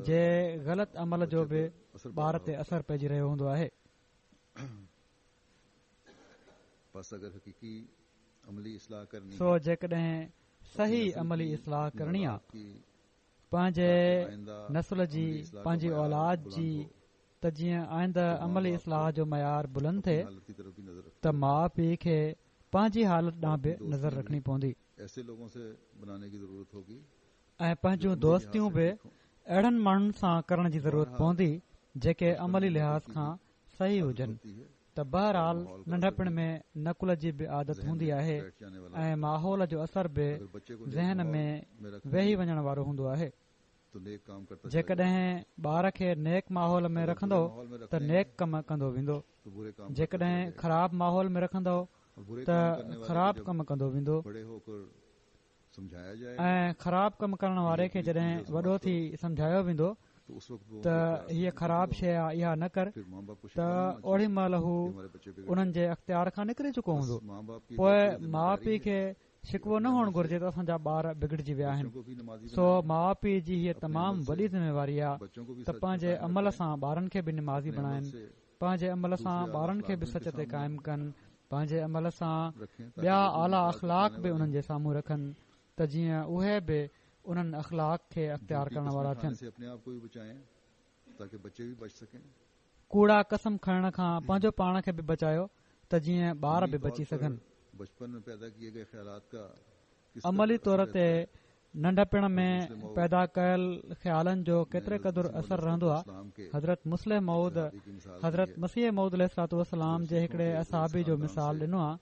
جي غلط عمل جو به ٻار تي اثر پئجي رهيو هوندو آهي. سو جيڪڏهن صحيح عملي اصلاح ڪرڻي آ پنهنجي نسل جي پنهنجي اولاد جي ته جيئن آئنده عملي اصلاح جو معيار بلند ٿئي ته ماء پيء کي پنهنجي حالت ڏانهن به نظر رکڻي پوندي ۽ پنهنجون دوستيون به اهڙن ماڻهن سان ڪرڻ جي ضرورت پوندي جيڪي عملي لحاظ کان صحيح هجن ته بهرحال ننڍپڻ ۾ نقل جي به عادت هوندي آهي ۽ ماحول جو اثر به ذهن ۾ ويهي وڃڻ وارو هوندو آهي. جيڪڏهن ٻار کي نيڪ ماحول ۾ رکندؤ ته نيڪ ڪم ڪندو ويندو، جيڪڏهن خراب ماحول ۾ رکندؤ ته خراب ڪم ڪندو ويندو. ۽ خراب ڪم ڪرڻ واري کي جڏهن وڏو ٿي سمجهايو ويندو ته هيء خراب شيء آ اها نه ڪر ته اوڏي مهل هو انهن جي اختيار کان نڪري چڪو هوندو پوء ماء پيء کي شڪوو نه هئڻ گهرجي ته اسان جا ٻار بگڙجي ويا آهن سو ماء پيء جي هيء تمام وڏي ذميواري آ ته پنهنجي عمل سان ٻارن کي به نمازي بڻائن پنهنجي عمل سان ٻارن کي به سچ تي قائم ڪن، پنهنجي عمل سان ٻيا اعليٰ اخلاق به انهن جي سامهون رکن ته جيئن اهي به انهن اخلاق کي اختيار ڪرڻ وارا ٿين. ڪوڙا قسم کڻڻ کان پنهنجو پاڻ کي به بچايو ته جيئن ٻار به بچي سگهن. عملي طور تي ننڍپڻ ۾ پيدا ڪيل خيالن جو ڪيتري قدر اثر رهندو آهي. حضرت مصلح موعود حضرت مسيح موعود عليه الصلوة والسلام جي هڪڙي اصحابي جو مثال ڏنو آهي.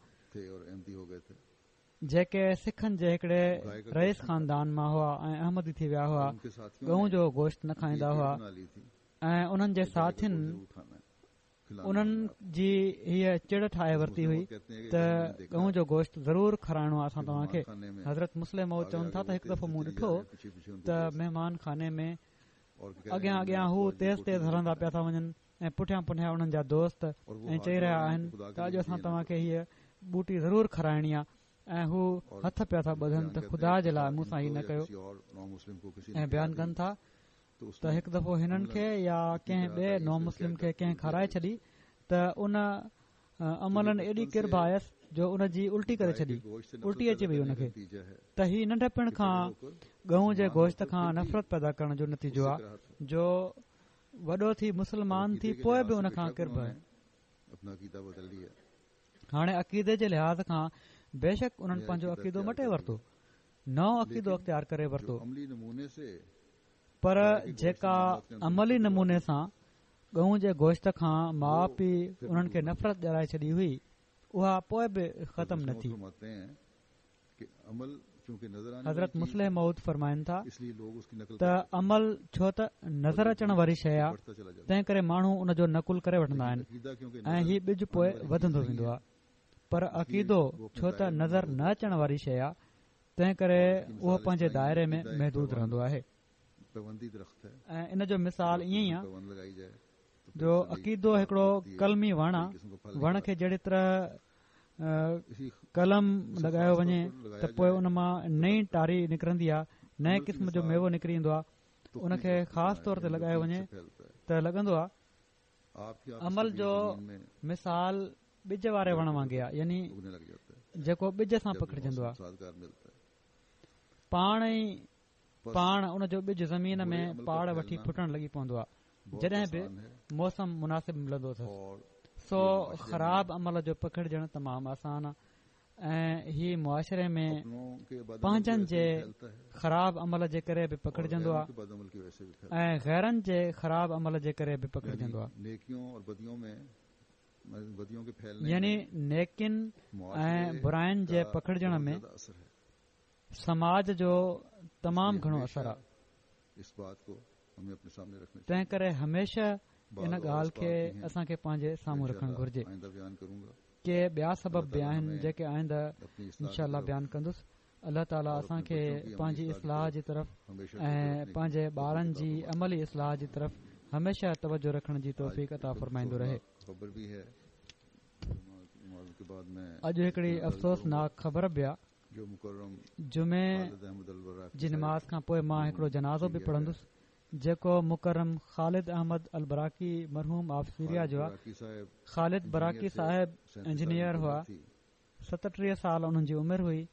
جيڪي سکن جي هڪڙي رئيس خاندان مان هئا ۽ احمدي ٿي ويا هئا، ڳئون جو گوشت نه کائيندا هئا ۽ انهن جي ساٿين انهن جي هيء چڙ ٺاهي ورتي هئي ته ڳئون جو گوشت ضرور کارائڻو آهي اسان توهان کي. حضرت مصلح موعود چون ٿا ته هڪ دفعو مون ڏٺو ته مهمان خاني ۾ اڳيان اڳيان هو تيز تيز هلندا پيا ٿا وڃن ۽ پٺيان پٺيان انهن جا دوست ۽ چئي رهيا آهن ته اڄ اسان توهان کي هيء ٻوٽي ضرور کارائڻي آهي ۽ هو هٿ پيا ٿا ٻڌن ته خدا جي لاء مون سان هي نه ڪيو ۽ بيان ڪن ٿا ته هڪ دفعو هنن کي يا ڪنهن ٻئي نو مسلم کي ڪنهن کارائي ڇڏي ته ان عملاً ايڏي ڪرڀ آيس جو ان جي الٽي ڪري ڇڏي الٽي اچي وئي ان کي ته هي ننڍپڻ کان ڳئون جي گوشت کان نفرت پيدا ڪرڻ جو نتيجو آهي جو وڏو ٿي مسلمان ٿي پوء به ان کان ڪرڀ آهي. هاڻي عقيدي جي لحاظ کان بيشڪ انهن پنهنجو عقيدو مٽي ورتو، نئون عقيدو اختيار ڪري ورتو، پر جيڪا عملي نموني سان ڳئون جي گوشت کان ماء پيء انهن کي نفرت ڏيارائي ڇڏي هئي، اها پوء به ختم نه ٿي. حضرت مصلح موعود فرمائن ٿا ته عمل ڇو ته نظر اچڻ واري شيء آهي تنهن ڪري ماڻهو ان جو نقل ڪري وٺندا آهن ۽ هي ٻج پوء وڌندو ويندو آهي پر عقيدو ڇو ته نظر نه اچڻ واري شيء آهي تنهن ڪري اهو پنهنجي دائري ۾ محدود رهندو آهي ۽ ان جو مثال ائين ئي آهي جو عقيدو هڪڙو قلمي وڻ آهي وڻ کي جهڙي طرح قلم لڳايو وڃي ته پوء ان مان نئين ٽاري نڪرندي آهي نئين قسم جو ميوو نڪري ايندو آهي ان کي خاص طور تي لڳايو وڃي ته لڳندو آهي عمل جو مثال ٻج واري وڻ وانگي آهي يعني جيڪو ٻج سان پکڙجندو آهي پاڻ ئي پاڻ ان جو ٻج زمين ۾ پاڙ وٺي ڦٽڻ لڳي پوندو آهي جڏهن به موسم مناسب ملندو اٿس سو خراب عمل جو پکڙجڻ تمام آسان آهي ۽ هي معاشري ۾ پنهنجن جي خراب عمل جي ڪري به پکڙجندو آهي ۽ غيرن جي خراب عمل جي ڪري به پکڙجندو آهي يعني نيڪين ۽ براين جي پکڙجڻ ۾ سماج جو تمام گهڻو اثر آهي تنهن ڪري هميشه ان ڳالهه کي اسان کي پنهنجي سامهون رکڻ گهرجي. ڪي ٻيا سبب به آهن جيڪي آئنده انشاء الله بيان ڪندس. الله تعالي اسان کي پنهنجي اصلاح جي طرف ۽ پنهنجي ٻارن جي عملي اصلاح جي طرف هميشه توجه رکڻ جي توفيق عطا فرمائيندو رهي. اڄ هڪڙي افسوسناڪ خبر به آ. جمعي جي نماز کان پوء مان هڪڙو جنازو به پڙهندس جيڪو مڪرم خالد احمد البراڪي مرحوم آف سيريا جو آهي. خالد براڪي صاحب انجنيئر هئا. 37 سال انهن جي عمر هئي.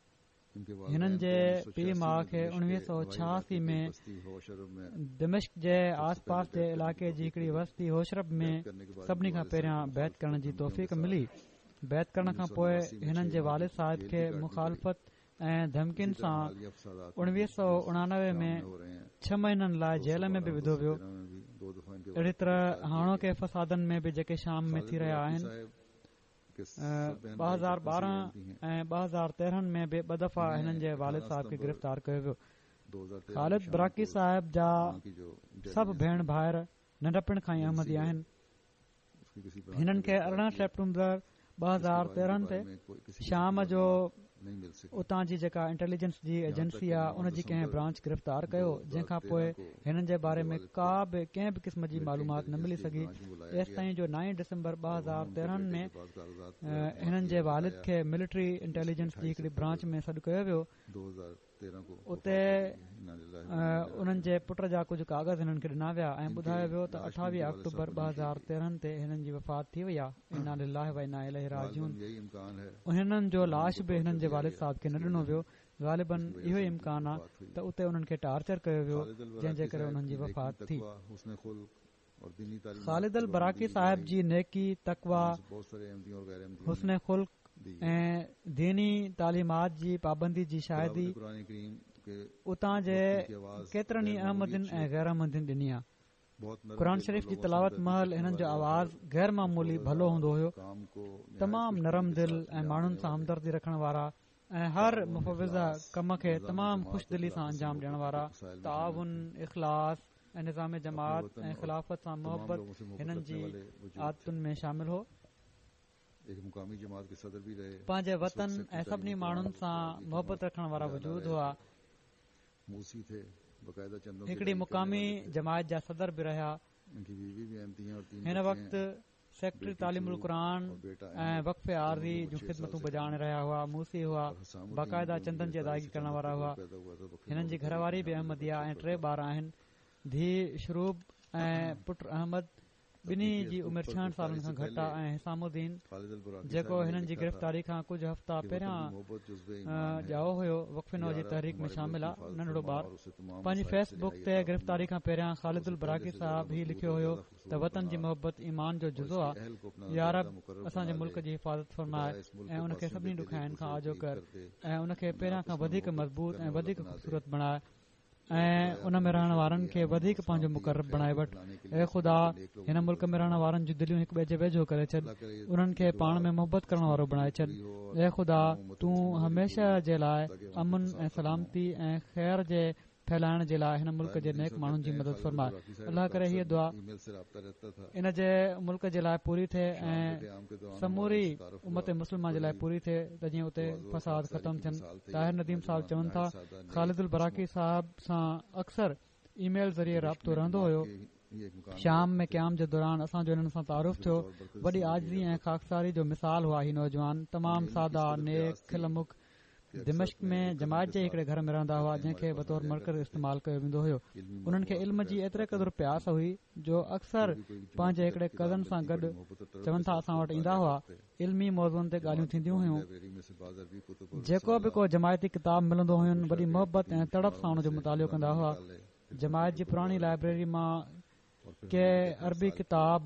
هنن جي پيء ماء کي 1986 ۾ دمشق جي آس پاس جي علائقي جي هڪڙي وستي هوشرب ۾ سڀني کان پهريان بيعت ڪرڻ جي توفيق ملي. بيعت ڪرڻ کان پوء هنن جي والد صاحب کي مخالفت ۽ ڌمڪين سان 1999 ۾ ڇهه مهينن لاء جيل ۾ به وڌو ويو. اهڙي طرح هاڻوڪي فسادن ۾ به جيڪي شام ۾ ٿي رهيا آهن 2012 ۽ 2013 ۾ به ٻه دفعا هنن جي والد صاحب کي گرفتار ڪيو ويو. خالد براڪي صاحب جا سڀ ڀيڻ ڀائر ننڍپڻ کان ئي احمدي آهن. هنن کي 18 سيپٽمبر 2013 تي شام جو اتان جي جيڪا انٽيليجنس جي ايجنسي آ ان جي ڪنهن برانچ گرفتار ڪيو جنهن کان پوء هنن جي باري ۾ ڪا به ڪنهن به قسم جي معلومات نه ملي سگهي ايستائين جو 9 ڊسمبر 2013 ۾ هنن جي والد کي ملٽري انٽيليجنس جي هڪڙي برانچ ۾ سڏ ڪيو ويو اتي انهن جي پٽ جا ڪجهه ڪاغذ هنن کي ڏنا ويا ۽ ٻڌايو ويو ته 28 آڪٽوبر 2013 تي هنن جي وفات ٿي وئي آهي انا لله و انا اليه راجعون هنن جو لاش به هنن جي والد صاحب کي نه ڏنو ويو. غالباً اهو ئي امڪان آ ته اتي انهن کي ٽارچر ڪيو ويو جنهن جي ڪري انهن جي وفات ٿي. خالد البراڪي صاحب جي نيڪي، تقويٰ، حسن خلق ۽ ديني تعليمات جي پابندي جي شاهدي اتان جي ڪيترن ئي احمدين ۽ غير احمدين ڏني آ. قرآن شريف جي تلاوت مهل هنن جو آواز غير معمولي ڀلو هوندو هيو. تمام نرم دل ۽ ماڻهن سان همدردي رکڻ وارا ۽ هر مفوضه ڪم کي تمام خوش دلي سان انجام ڏيڻ وارا، تعاون، اخلاص ۽ نظام جماعت ۽ خلافت سان محبت هنن جي عادتن ۾ شامل هو. پنهنجي وطن ۽ سڀني ماڻهن سان محبت رکڻ وارا وجود هئا. هڪڙي مقامي جماعت جا صدر به رهيا. هن وقت سيڪريٽري تعليم القرآن ۽ وقف عارضي جون خدمتون بجا آڻي رهيا هئا. موصي هئا. باقاعده چندن جي ادائگي ڪرڻ وارا هئا. هنن جي گهر واري به احمديه ۽ ٽي ٻار آهن. ڌيء شروب ۽ پٽ احمد ٻنهي جي عمر 66 سالن کان گهٽ آ ۽ حسام الدين جيڪو هنن جي گرفتاري کان ڪجهه هفتا پهريان ڄائو هيو وقف نو جي تحريڪ ۾ شامل آ ننڍڙو ٻار پنهنجي فيس بڪ تي گرفتاري کان پهريان خالد البراڪي صاحب هي لکيو هيو ته وطن جي محبت ايمان جو جزو آ يا رب اسان جي ملڪ جي حفاظت فرماء ۽ ان کي سڀني ڏکيائين کان آجو ڪر ۽ ان کي پهريان کان وڌيڪ مضبوط ۽ وڌيڪ خوبصورت بڻاء ۽ ان ۾ رهڻ وارن کي وڌيڪ پنهنجو مقرب بڻائي وٺ. اي خدا! هن ملڪ ۾ رهڻ وارن جون دليون هڪ ٻئي جي ويجهو ڪري ڇڏ. انهن کي پاڻ ۾ محبت ڪرڻ وارو بڻائي ڇڏ. اي خدا! تون هميشه جي لاء امن ۽ سلامتي ۽ خير جي ڦهلائڻ جي لاء هن ملڪ جي نيڪ ماڻهن جي مدد فرماء. الله ڪري هيء دعا ان جي ملڪ جي لاء پوري ٿئي ۽ سموري امت مسلمه جي لاء پوري ٿئي ته جيئن اتي فساد ختم ٿين. طاهر نديم صاحب چون ٿا. خالد البراڪي صاحب سان اڪثر اي ميل ذريعي رابطو رهندو هيو. شام ۾ قيام جي دوران اسان جو انهن سان تعارف ٿيو. وڏي عاجزي ۽ خاڪساري جو مثال هئا هي نوجوان تمام سادا، نيڪ، کل مک، دمشق ۾ جماعت جي ئي هڪڙي گهر ۾ رهندا هئا جنهن کي بطور مرڪز استعمال ڪيو ويندو هيو. انهن کي علم جي ايتري قدر پياس هئي جو اڪثر پنهنجي هڪڙي ڪزن سان گڏ چون ٿا اسان وٽ ايندا هئا. علمي موضوعن تي ڳالهيون ٿينديون هيون. جيڪو به ڪو جماعتي ڪتاب ملندو هين وڏي محبت ۽ تڙپ سان ان جو مطالعو ڪندا هئا. جماعت جي پراڻي لائبريري مان ڪي عربي ڪتاب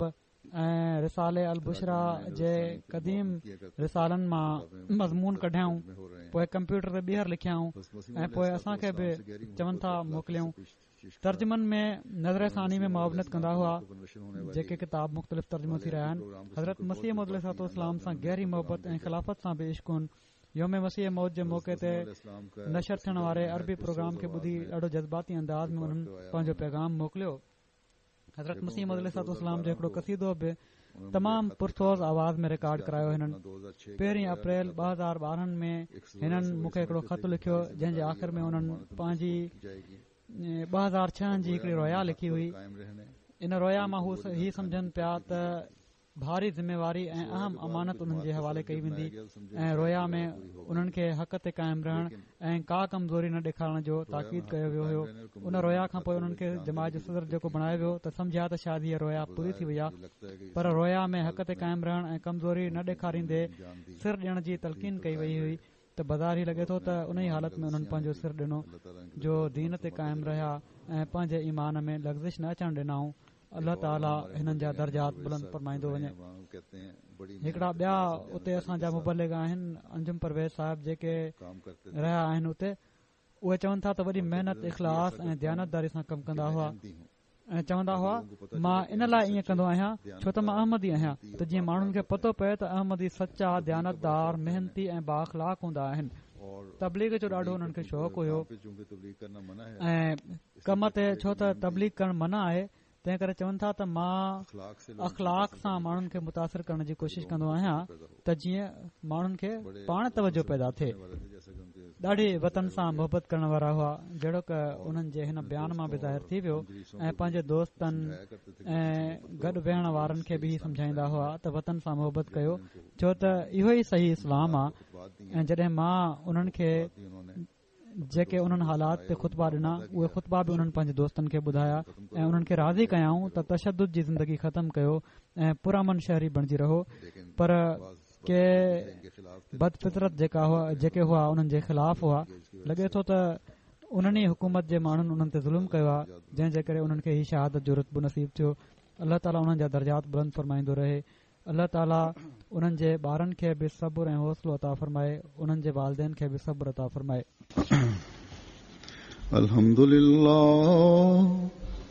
۽ رسالي البشريٰ جي قديم رسالن مان مضمون ڪڍيائون پوء ڪمپيوٽر تي ٻيهر لکيائون ۽ پوء اسان کي به چون ٿا موڪليائون. ترجمن ۾ نظر ثاني ۾ معاونت ڪندا هئا جيڪي ڪتاب مختلف ترجمو ٿي رهيا آهن حضرت مسيح موعود عليه الصلوة والسلام سان گهري محبت ۽ خلافت سان به عشق هن يوم مسيح موعود جي موقعي تي نشر ٿيڻ واري عربي پروگرام کي ٻڌي ڏاڍو جذباتي انداز ۾ انهن پنهنجو پيغام موڪليو حضرت مسيح موعود عليه الصلوة والسلام جو هڪڙو قصيدو به تمام پرسوز آواز ۾ رڪارڊ ڪرايو هنن پهرين اپريل 2012 ۾ هنن مون کي هڪڙو خط لکيو جنهن جي آخر ۾ انهن پنهنجي 2006 جي هڪڙي رويا لکي هئي ان رويا مان هو هي سمجهن پيا ته ڀاري ذميواري ۽ اهم امانت انهن جي حوالي ڪئي ويندي ۽ رويا ۾ انهن کي حق تي قائم رهڻ ۽ ڪا ڪمزوري نه ڏيکارڻ جو تاڪيد ڪيو ويو هيو ان رويا کان پوء انهن کي جماعت جو صدر جيڪو بڻايو ويو ته سمجهيا ته شايد هيء رويا پوري ٿي وئي آهي پر رويا ۾ حق تي قائم رهڻ ۽ ڪمزوري نه ڏيکاريندي سر ڏيڻ جي تلقين ڪئي وئي هئي ته بظاهر هي لڳي ٿو ته انهي حالت ۾ انهن پنهنجو سر ڏنو جو دين تي قائم رهيا ۽ پنهنجي ايمان ۾ لغزش نه اچڻ ڏنائون الله تعالي هنن جا درجات بلند فرمائيندو وڃي هڪڙا ٻيا اتي اسان جا مبلغ آهن انجم پرويز صاحب جيڪي رهيا آهن اتي اهي چون ٿا ته وڏي محنت اخلاص ۽ ديانتداري سان ڪم ڪندا هئا ۽ چوندا هئا مان ان لاء ائين ڪندو آهيان ڇو ته مان احمدي آهيان ته جيئن ماڻهن کي پتو پئي ته احمدي سچا ديانتدار محنتي ۽ بااخلاق هوندا آهن تبليغ جو ڏاڍو انهن کي شوق هيو ۽ ڪم تي ڇو ته تبليغ ڪرڻ منع آهي تنهن ڪري چون ٿا ته مان اخلاق سان ماڻهن کي متاثر ڪرڻ جي ڪوشش ڪندو آهيان ته جيئن ماڻهن کي پاڻ توجه پيدا ٿئي ڏاڍي وطن سان محبت ڪرڻ وارا هئا جهڙوڪ انهن جي هن بيان مان به ظاهر ٿي ويو ۽ پنهنجي دوستن ۽ گڏ ويهڻ وارن کي به سمجهائيندا هئا ته وطن سان محبت ڪيو ڇو ته اهو ئي صحيح اسلام آهي ۽ جڏهن مان انهن کي جيڪي انهن حالات تي خطبا ڏنا اهي خطبا به انهن پنهنجي دوستن کي ٻڌايا ۽ انهن کي راضي ڪيائون ته تشدد جي زندگي ختم ڪيو ۽ پرامن شهري بڻجي رهو پر ڪي بد فطرت جيڪا هئا جيڪي هئا انهن جي خلاف هئا. لڳي ٿو ته انهن ئي حڪومت جي ماڻهن انهن تي ظلم ڪيو آهي جنهن جي ڪري انهن کي هي شهادت جو رتبو نصيب ٿيو. الله تعالي انهن جا درجات بلند فرمائيندو رهي. الله تعالي انهن جي ٻارن کي به صبر ۽ حوصلو عطا فرمائي انهن جي والدين کي به صبر عطا فرمائي. الحمد لله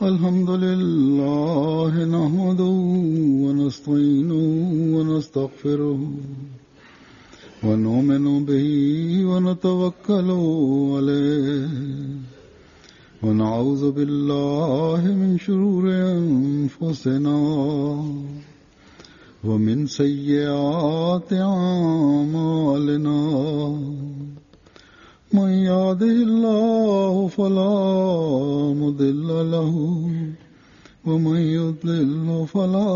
الحمد لله نحمده ونستعينه ونستغفره ونؤمن به ونتوكل عليه ونعوذ بالله من شرور أنفسنا ومن سيئات أعمالنا من يهده الله فلا مضل له ومن يضلل فلا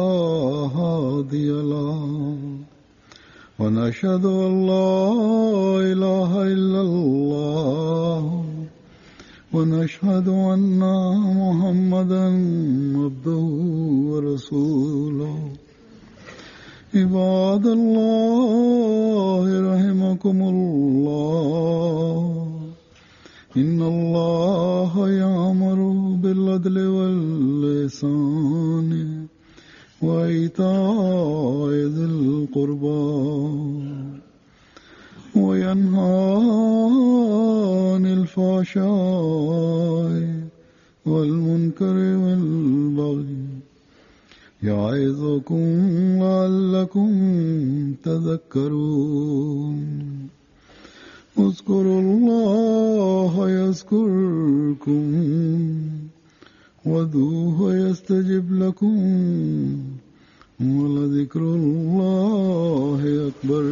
هادي له ونشهد أن لا إله إلا الله ونشهد أن محمدا عبده ورسوله عباد الله رحمكم الله إن الله يأمر بالعدل واللسان وإيتاء ذي القربى وينهى عن الفحشاء والمنكر والبغي يعظكم لعلكم تذكرون اذكروا الله يذكركم وادعوه يستجب لكم ولذكر الله أكبر.